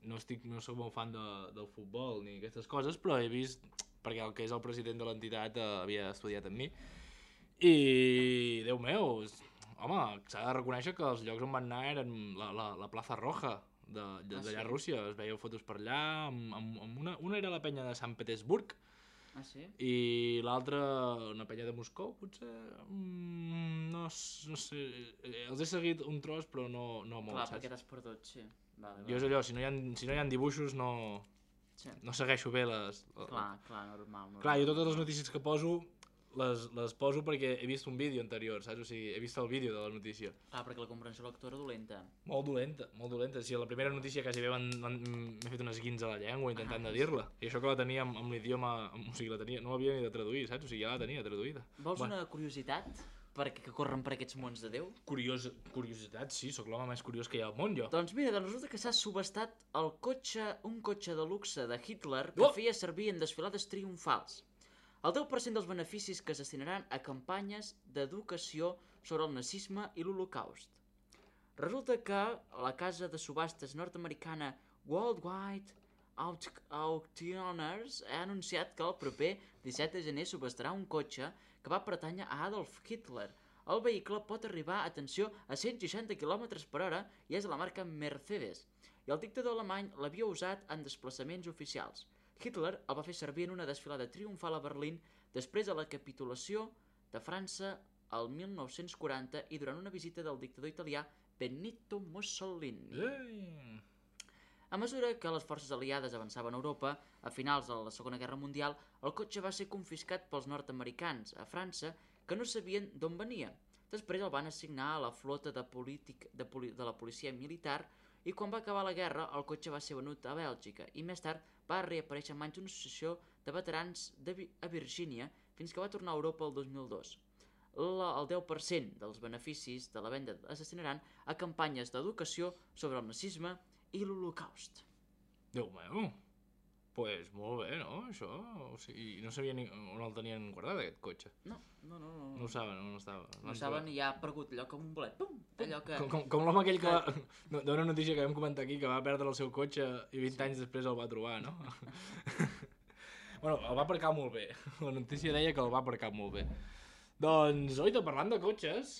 No soc molt fan del futbol ni aquestes coses, però he vist, perquè el que és el president de l'entitat havia estudiat amb mi, i, Déu meu, home, s'ha de reconèixer que els llocs on van anar eren la plaça Roja d'allà sí? a Rússia. Es veia fotos per allà, amb una era la penya de Sant Petersburg Ah, sí? i l'altra una penya de Moscou, potser, no sé, els he seguit un tros però no molt, Clar, saps? perquè t'has perdut, sí. Vale. Jo és allò, si no hi ha dibuixos no Sí. segueixo bé les... Clar, normal. Clar, jo totes les notícies que poso les poso perquè he vist un vídeo anterior, saps? O sigui, he vist el vídeo de la notícia. Perquè la comprensió lectora dolenta. Molt dolenta. Si a la primera notícia quasi bé m'he fet unes guins a la llengua intentant de dir-la. I això que la tenia amb l'idioma... O sigui, no l'havia ni de traduir, saps? O sigui, ja la tenia traduïda. Vols una curiositat? Que corren per aquests mons de Déu? Curiositat, sí, sóc l'home més curiós que hi ha al món, jo. Doncs mira, resulta que s'ha subestat un cotxe de luxe de Hitler que feia servir en desfilades triomfals. El 10% dels beneficis que es destinaran a campanyes d'educació sobre el nazisme i l'Holocaust. Resulta que la casa de subhastes nord-americana Worldwide Auctioneers ha anunciat que el proper 17 de gener subhastarà un cotxe que va pertànyer a Adolf Hitler. El vehicle pot arribar, atenció, a 160 km/h i és de la marca Mercedes. I el dictador alemany l'havia usat en desplaçaments oficials. Hitler el va fer servir en una desfilada triomfal a Berlín després de la capitulació de França el 1940 i durant una visita del dictador italià Benito Mussolini. A mesura que les forces aliades avançaven a Europa, a finals de la Segona Guerra Mundial, el cotxe va ser confiscat pels nord-americans a França, que no sabien d'on venia. Després el van assignar a la flota de la policia militar i quan va acabar la guerra el cotxe va ser venut a Bèlgica i més tard va reaparèixer en mans d'una associació de veterans a Virgínia fins que va tornar a Europa el 2002. El 10% dels beneficis de la venda es destinaran a campanyes d'educació sobre el nazisme i l'Holocaust. Déu meu, pues molt bé, no, això? O sigui, no sabia on el tenien guardat, aquest cotxe. No. No ho saben, no estava. No saben i ha aparegut allò com un bolet. Pum! Allò que... Com l'home aquell que d'una notícia que vam comentar aquí, que va perdre el seu cotxe i 20 anys després el va trobar, no? Bueno, el va aparcar molt bé. La notícia deia que el va aparcar molt bé. Doncs, oita, parlant de cotxes,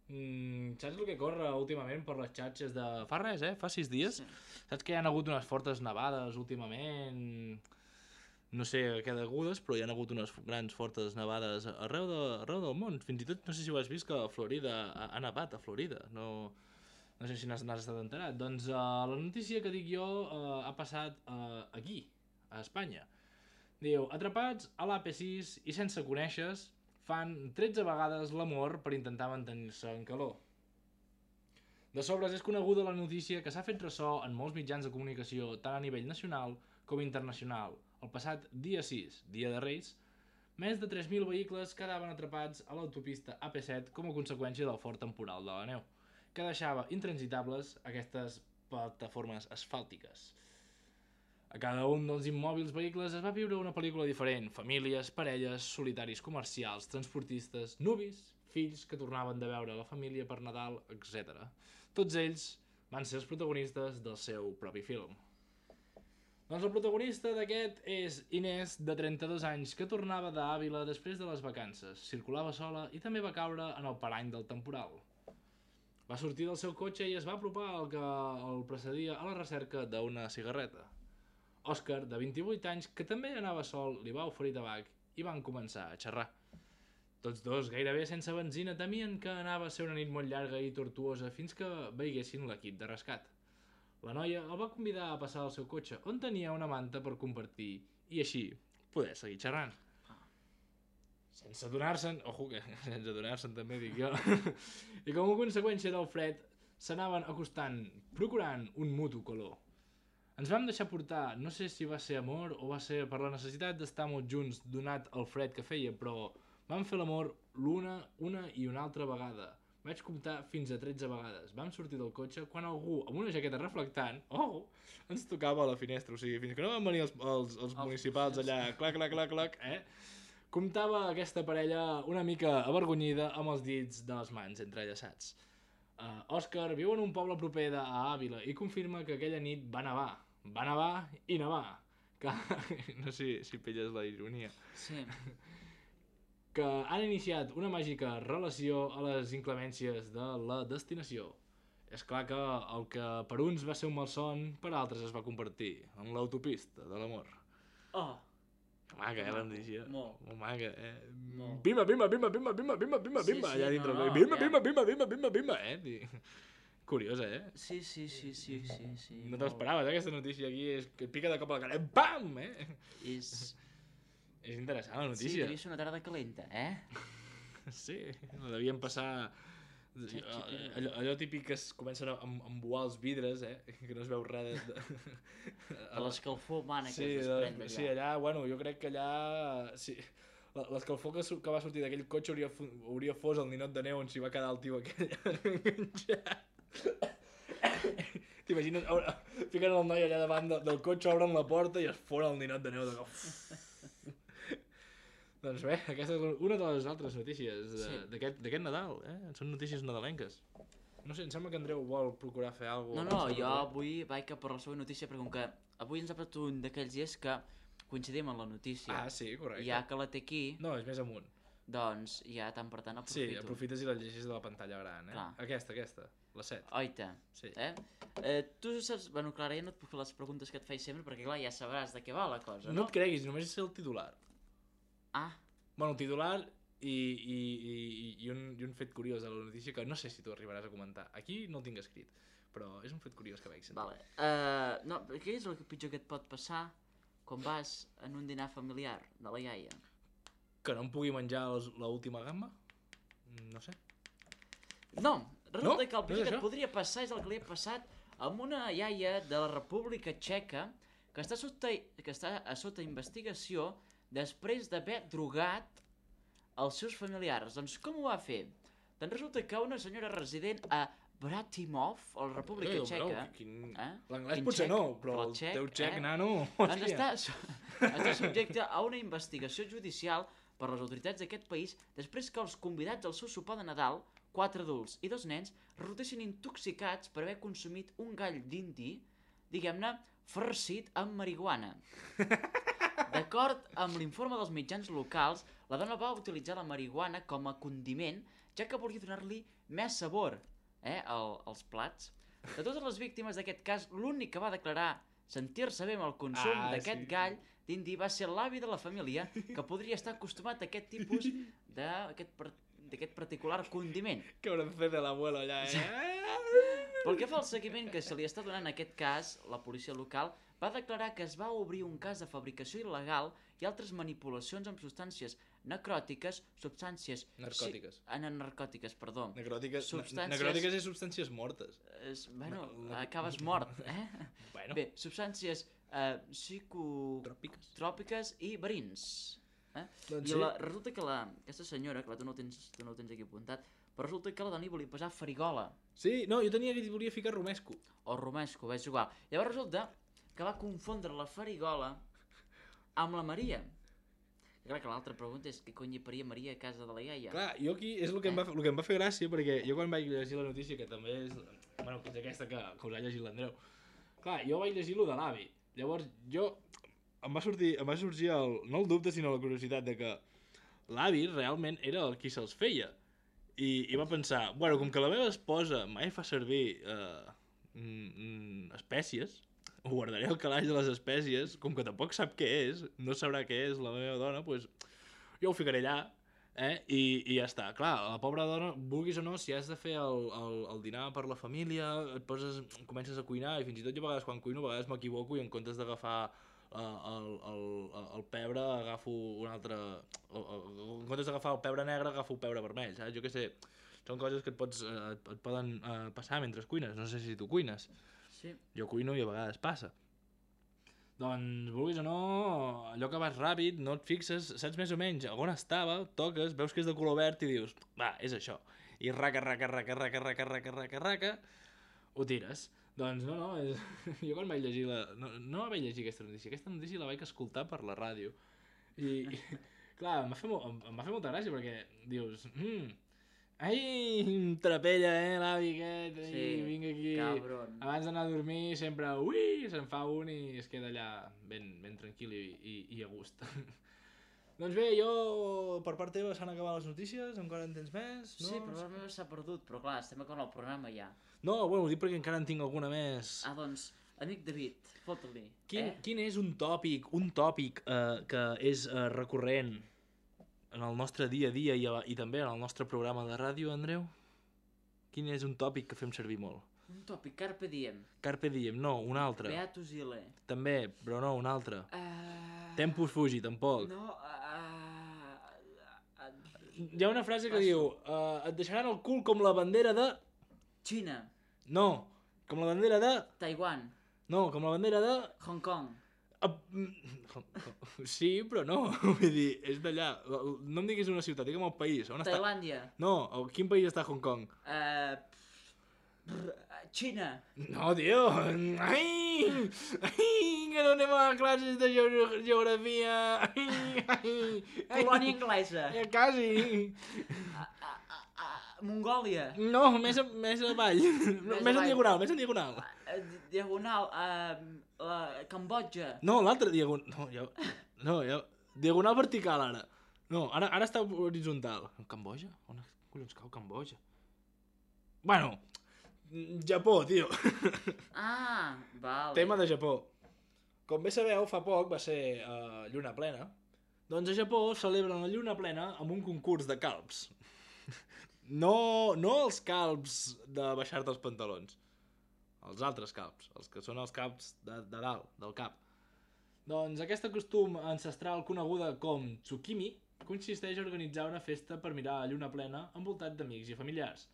saps el que corre últimament per les xarxes de... Fa res, fa 6 dies. Sí. Saps que hi ha hagut unes fortes nevades últimament... No sé a què degudes, però hi ha hagut unes grans fortes nevades arreu del món. Fins i tot, no sé si ho has vist, que a Florida ha nevat, a Florida. No sé si n'has estat enterat. Doncs la notícia que dic jo ha passat aquí, a Espanya. Diu, atrapats a l'AP6 i sense conèixer, fan 13 vegades l'amor per intentar mantenir-se en calor. De sobres és coneguda la notícia que s'ha fet ressò en molts mitjans de comunicació tant a nivell nacional com internacional. El passat dia 6, dia de Reis, més de 3.000 vehicles quedaven atrapats a l'autopista AP7 com a conseqüència del fort temporal de la neu, que deixava intransitables aquestes plataformes asfàltiques. A cada un dels immòbils vehicles es va viure una pel·lícula diferent: famílies, parelles, solitaris comercials, transportistes, nuvis, fills que tornaven de veure la família per Nadal, etc. Tots ells van ser els protagonistes del seu propi film. Doncs el protagonista d'aquest és Inés, de 32 anys, que tornava d'Àvila després de les vacances, circulava sola i també va caure en el parany del temporal. Va sortir del seu cotxe i es va apropar al que el precedia a la recerca d'una cigarreta. Òscar, de 28 anys, que també anava sol, li va oferir tabac i van començar a xerrar. Tots dos, gairebé sense benzina, temien que anava a ser una nit molt llarga i tortuosa fins que veiessin l'equip de rescat. La noia el va convidar a passar al seu cotxe, on tenia una manta per compartir i així poder seguir xerrant. Sense adonar-se'n, ojo que sense adonar-se'n també dic jo, i com a conseqüència del fred s'anaven acostant, procurant un mutu calor. Ens vam deixar portar, no sé si va ser amor o va ser per la necessitat d'estar molt junts donat el fred que feia, però vam fer l'amor una i una altra vegada. Vaig comptar fins a 13 vegades. Vam sortir del cotxe quan algú amb una jaqueta reflectant, ens tocava a la finestra, o sigui, fins que no van venir els municipals allà, clac, comptava aquesta parella una mica avergonyida amb els dits de les mans entrellaçats. Òscar viu en un poble proper d'Àvila i confirma que aquella nit va nevar i nevar. No sé si pilles la ironia. Sí. Que han iniciat una màgica relació a les inclemències de la destinació. És clar que el que per uns va ser un malson, per altres es va convertir en l'autopista de l'amor. Oh! Que maca, la notícia. Molt. Molt maca, Molt. Bimba, allà dintre. Bimba, curiosa, Sí. No te l'esperaves, aquesta notícia aquí, és que et pica de cop a la cara, pam, És interessant la Sí, notícia. devia ser una tarda calenta, Sí, la devien passar... Allò típic que es comencen a embuar els vidres, que no es veu res de... A l'escalfor humana que Sí, es desprèn d'allà. sí, allà, bueno, jo crec que allà... Sí, l'escalfor que va sortir d'aquell cotxe hauria fos el ninot de neu on s'hi va quedar el tio aquell enganxat. T'imagines, fiquen el noi allà davant del cotxe, obren la porta i es fora el ninot de neu de cop. Doncs bé, aquesta és una de les altres notícies d'aquest Nadal, Són notícies nadalenques. No sé, em sembla que Andreu vol procurar fer alguna cosa. No, jo avui vaig cap per la següent notícia perquè com que avui ens ha passat un d'aquells dies que coincidim en la notícia. Ah, sí, correcte. Ja que la té aquí, No, és més amunt. doncs ja tant per tant aprofito. Sí, aprofites i la llegis de la pantalla gran, Clar. Aquesta, la 7. Oita, Sí. Tu saps... Bueno, Clara, ja no et puc fer les preguntes que et faig sempre perquè clar, ja sabràs de què va la cosa, No no? et creguis, només és el titular. Ah, Bueno, el titular i un fet curiós de la notícia que no sé si tu arribaràs a comentar. Aquí no el tinc escrit, però és un fet curiós que vaig sentir. vale. No, què és el pitjor que et pot passar quan vas en un dinar familiar de la iaia? Que no em pugui menjar l'última gamma? No sé. No, resulta que el No és pitjor que això? et podria passar és el que li ha passat amb una iaia de la República Txeca que està a sota investigació després d'haver drogat els seus familiars. Doncs com ho va fer? Doncs resulta que una senyora resident a Bratimov, a la República Txeca... L'anglès Quin potser txec? no, però Però el txec, teu txec, eh? nano, Doncs hòstia. està subjecte a una investigació judicial per les autoritats d'aquest país després que els convidats al seu sopar de Nadal, 4 adults i 2 nens, resultessin intoxicats per haver consumit un gall d'indi, diguem-ne, farcit amb marihuana. D'acord amb l'informe dels mitjans locals, la dona va utilitzar la marihuana com a condiment, ja que volia donar-li més sabor als plats. De totes les víctimes d'aquest cas, l'únic que va declarar sentir-se bé amb el consum d'aquest gall d'indi va ser l'avi de la família, que podria estar acostumat a aquest tipus d'aquest particular condiment. Que haurem fet de l'abuelo allà, Pel que fa al seguiment que se li està donant en aquest cas, la policia local va declarar que es va obrir un cas de fabricació il·legal i altres manipulacions amb substàncies necròtiques, substàncies... Narcòtiques. Narcòtiques, perdó. Necròtiques, Substàncies- necròtiques és substàncies mortes. Bueno, No. acabes mort, Bueno, Bé, substàncies psicotròpiques tròpiques. i verins. Doncs I sí. resulta que aquesta senyora, clar, tu no ho tens aquí apuntat, però resulta que la dona hi volia posar farigola Sí, no, jo tenia que volia ficar romesco. o romesco, és igual. Llavors resulta que va confondre la farigola amb la Maria. I clar, que l'altra pregunta és què cony hi faria Maria a casa de la iaia? Clar, jo aquí és el que, el que em va fer gràcia, perquè jo quan vaig llegir la notícia, que també és, bueno, que és aquesta que us ha llegit l'Andreu, clar, jo vaig llegir lo de l'avi. Llavors, em va sorgir no el dubte, sinó la curiositat de que l'avi realment era el qui se'ls feia. I va pensar, bueno, com que la meva esposa mai fa servir espècies, ho guardaré al calaix de les espècies, com que tampoc sap què és, no sabrà què és la meva dona, doncs jo ho ficaré allà, i ja està. Clar, la pobra dona, vulguis o no, si has de fer el dinar per la família, comences a cuinar, i fins i tot jo a vegades quan cuino, a vegades m'equivoco i en comptes d'agafar el pebre agafo un altre... En comptes d'agafar el pebre negre agafo el pebre vermell, saps? Jo què sé, són coses que et poden passar mentre cuines, no sé si tu cuines. Sí. Jo cuino i a vegades passa. Doncs, vulguis o no, allò que vas ràpid, no et fixes, saps més o menys on estava, toques, veus que és de color verd i dius, va, és això. I raca, ho tires. Doncs no, jo quan vaig llegir no vaig llegir aquesta notícia la vaig escoltar per la ràdio. I clar, em va fer molta gràcia perquè dius, ai, trapella, l'avi aquest, Sí, vinga aquí. cabron. Abans d'anar a dormir sempre, se'n fa un i es queda allà ben tranquil i a gust. Doncs bé, jo, per part teva, s'han acabat les notícies, encara en tens més? No? Sí, però la meva s'ha perdut, però clar, estem acabant el programa ja. No, bueno, ho dic perquè encara en tinc alguna més. Ah, doncs, amic David, fota-li. Quin és un tòpic que és recurrent en el nostre dia a dia i també en el nostre programa de ràdio, Andreu? Quin és un tòpic que fem servir molt? Un tòpic, carpe diem. Carpe diem, no, un altre. Beatus ile. També, però no, un altre. Tempus fugi, tampoc. No, Hi ha una frase que diu et deixaran el cul com la bandera de... Xina, No, com la bandera de... Taiwan, No, com la bandera de... Hong Kong. Sí, però no, vull dir, és d'allà. No em diguis una ciutat, digue'm el país. On està? Tailàndia. No, a quin país està Hong Kong? Xina. No, tio. Ai, que no anem a classes de geografia. Colònia anglesa. Quasi. Mongòlia. No, més avall. Més en diagonal, més en diagonal. Diagonal. Cambodja. No, l'altre diagonal. No, diagonal vertical, ara. No, ara està horitzontal. Cambodja? On collons cau Cambodja? Bueno, Japó, tio. Ah, vale. Tema de Japó. Com bé sabeu, fa poc va ser lluna plena. Doncs a Japó celebren la lluna plena amb un concurs de calbs. No els calbs de baixar-te els pantalons. Els altres calbs, els que són els calbs de dalt, del cap. Doncs aquest costum ancestral coneguda com tsukimi consisteix a organitzar una festa per mirar la lluna plena envoltat d'amics i familiars.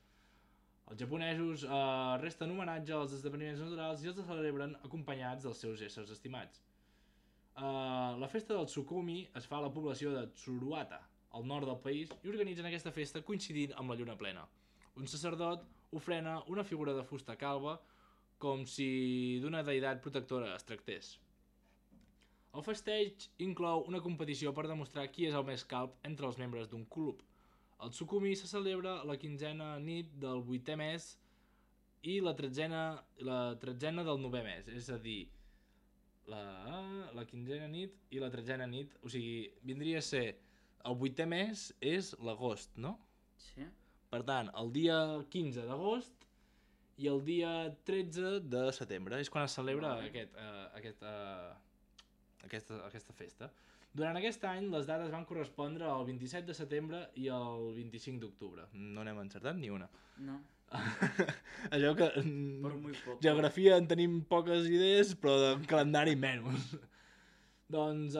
Els japonesos resten homenatge als esdeveniments naturals i els celebren acompanyats dels seus éssers estimats. La festa del Tsukumi es fa a la població de Tsuruata, al nord del país, i organitzen aquesta festa coincidint amb la lluna plena. Un sacerdot ofrena una figura de fusta calba com si d'una deïtat protectora es tractés. El festeig inclou una competició per demostrar qui és el més calb entre els membres d'un club. El Tsukumi se celebra la 15a nit del 8è mes i la 13a del 9è mes, és a dir, la 15a nit i la 13a nit, o sigui, vindria a ser el 8è mes és l'agost, no? Sí. Per tant, el dia 15 d'agost i el dia 13 de setembre és quan es celebra aquesta festa. Durant aquest any, les dates van correspondre al 27 de setembre i al 25 d'octubre. No n'hem encertat ni una. No, Allò que... per muy poc. Geografia en tenim poques idees, però de calendari menys. Doncs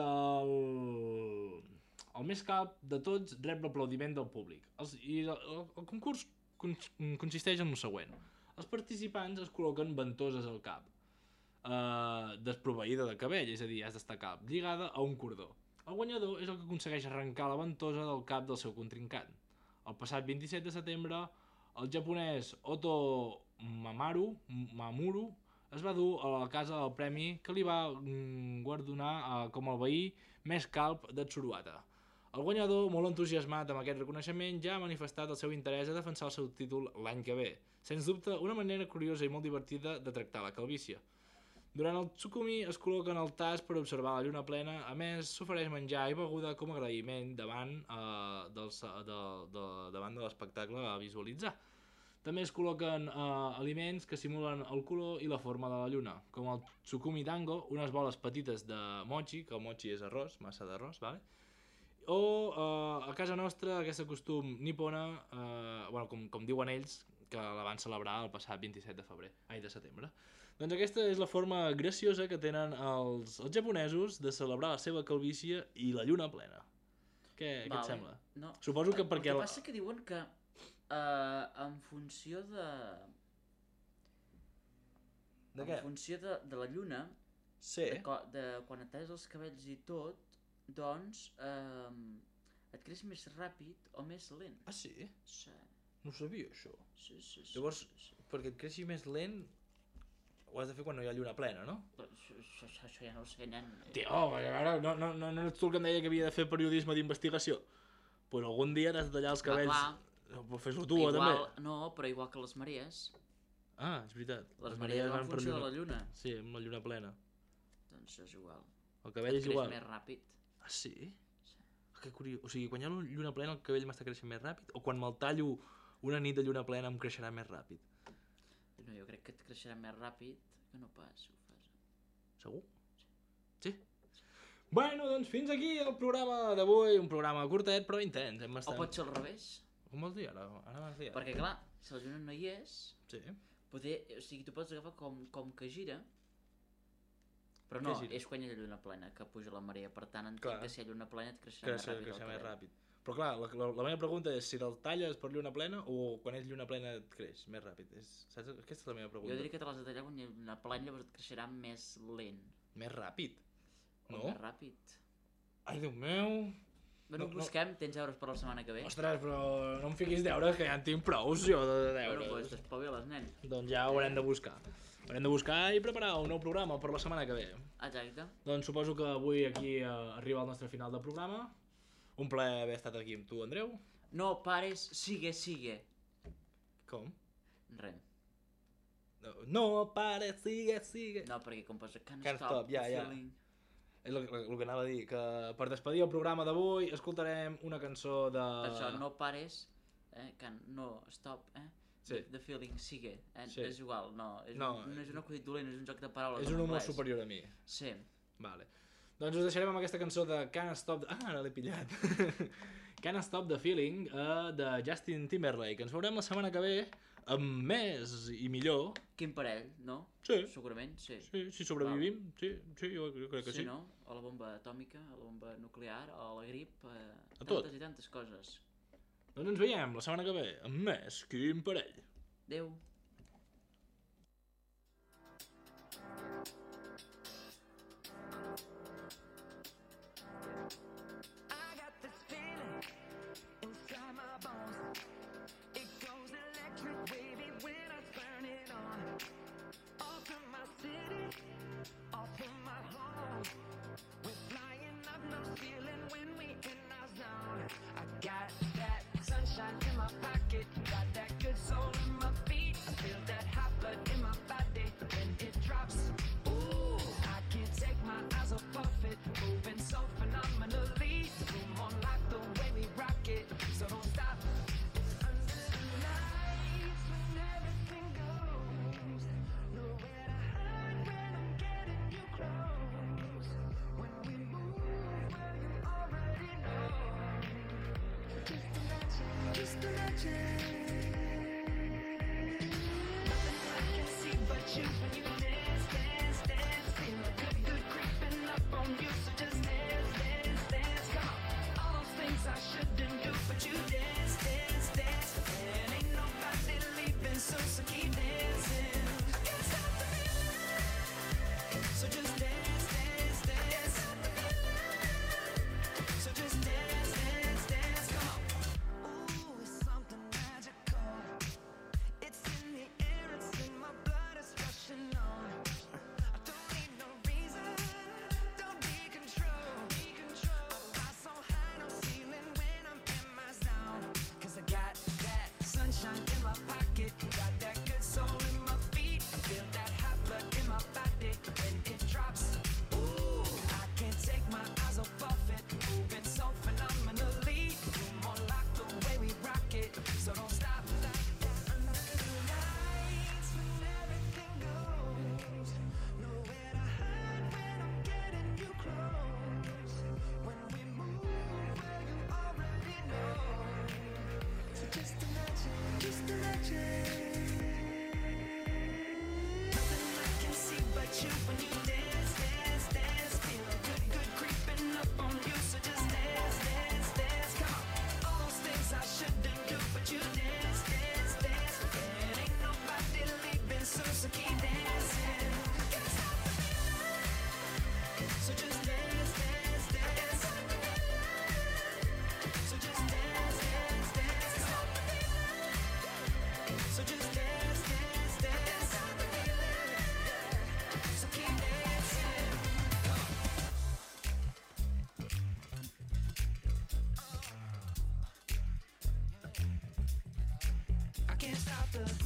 El més calb de tots rep l'aplaudiment del públic. El concurs consisteix en el següent. Els participants es col·loquen ventoses al cap, desproveïda de cabell, és a dir, has d'estar calb, lligada a un cordó. El guanyador és el que aconsegueix arrencar la ventosa del cap del seu contrincant. El passat 27 de setembre, el japonès Oto Mamuru es va dur a la casa el premi que li va guardonar com el veí més calb de Tsuruata. El guanyador, molt entusiasmat amb aquest reconeixement, ja ha manifestat el seu interès a defensar el seu títol l'any que ve. Sens dubte, una manera curiosa i molt divertida de tractar la calvície. Durant el Tsukumi es col·loquen al tas per observar la lluna plena, a més s'ofereix menjar i beguda com a agraïment davant de l'espectacle a visualitzar. També es col·loquen aliments que simulen el color i la forma de la lluna, com el Tsukumi Dango, unes boles petites de mochi, que el mochi és arròs, massa d'arròs, vale? O a casa nostra aquest costum nipona, com diuen ells, que la van celebrar el passat 27 de setembre. Doncs aquesta és la forma graciosa que tenen els japonesos de celebrar la seva calvície i la lluna plena. Què et sembla? No. Suposo que perquè... El que passa que diuen que en funció de... De què? En funció de la lluna, Sí. de quan et talles els cabells i tot, doncs et creix més ràpid o més lent. Ah, sí? Sí. No sabia, això. Sí. Llavors, perquè et creixi més lent, ho has de fer quan no hi ha lluna plena, no? Això ja no ho sé, nen. Tio, ara no ets tu el que em deia que havia de fer periodisme d'investigació? Pues algun dia t'has de tallar els cabells. Pues fes-ho tu, igual, també. No, però igual que les marees. Ah, és veritat. Les marees van en funció de la lluna. Sí, amb la lluna plena. Doncs és igual. El cabell és igual. Creix més ràpid. Ah, sí? Que curiós. O sigui, quan hi ha lluna plena el cabell m'està creixent més ràpid? O quan me'l tallo una nit de lluna plena em creixerà més ràpid? No, jo crec que et creixerà més ràpid que no pas si ho fas. Segur? Sí? Bueno, doncs fins aquí el programa d'avui. Un programa curtet però intens. O pot ser al revés. Com vols dir? Ara m'has dit. Perquè clar, si la lluna no hi és, Sí. poder, o sigui, tu pots agafar com que gira, però no, gira? és quan hi ha lluna plena que puja la marea, per tant entenc Clar. que si hi ha lluna plena et creixerà més ràpid el Creixerà més cabell. ràpid. Però clar, la meva pregunta és si te'l talles per lluna plena o quan és lluna plena et creix més ràpid. Saps? Aquesta és la meva pregunta. Jo diria que te l'has de tallar quan hi ha lluna plena, llavors et creixerà més lent. Més ràpid? O No? més ràpid. Ai, Déu meu... Bueno, busquem, tens deures per la setmana que ve. Ostres, però no em fiquis deures, que ja en tinc prou, jo, de deures. Bueno, doncs t'espaviles, nen. Doncs ja ho haurem de buscar. Haurem de buscar i preparar un nou programa per la setmana que ve. Exacte. Doncs suposo que avui aquí arriba el nostre final de programa. Un plaer haver estat aquí amb tu, Andreu. No pares, sigue. Com? Res. No pares, sigue. No, perquè com posa can't Can't stop stop, ja. feeling. És el que anava a dir, que per despedir el programa d'avui escoltarem una cançó de... Per això, no pares, no, stop, Sí. The feeling, sigue, Sí. és igual, no és un acudit dolent, és un joc de paraules És un en humor anglès. superior a mi. Sí. Vale. Doncs us deixarem amb aquesta cançó de Can't Stop... Ah, ara l'he pillat. Can't Stop the Feeling de Justin Timberlake. Ens veurem la setmana que ve amb més i millor. Quin parell, no? Sí. Segurament, sí. Sí, si sobrevivim, sí, jo crec que sí. Sí, no? A la bomba atòmica, a la bomba nuclear, a la grip, a tot. tantes i tantes coses. Doncs ens veiem la setmana que ve amb més Quin Parell. Adéu. I got this feeling inside my bones. It goes electric wavy when I turn it on. Off from my city, off from my home. We're flying up no ceiling when we in our zone. I got that sunshine in my pocket, got that good soul in my feet. I feel that hot blood in my body when it drops. Ooh, I can't take my eyes off of it, moving so phenomenally. The room on lock, the way we rock it, so don't stop. Under the lights when everything goes, nowhere to hide when I'm getting you close. When we move, well you already know. Just imagine. Nothing I can see but you when you dance. Feel a good creeping up on you, so just dance. Come on. All those can't stop the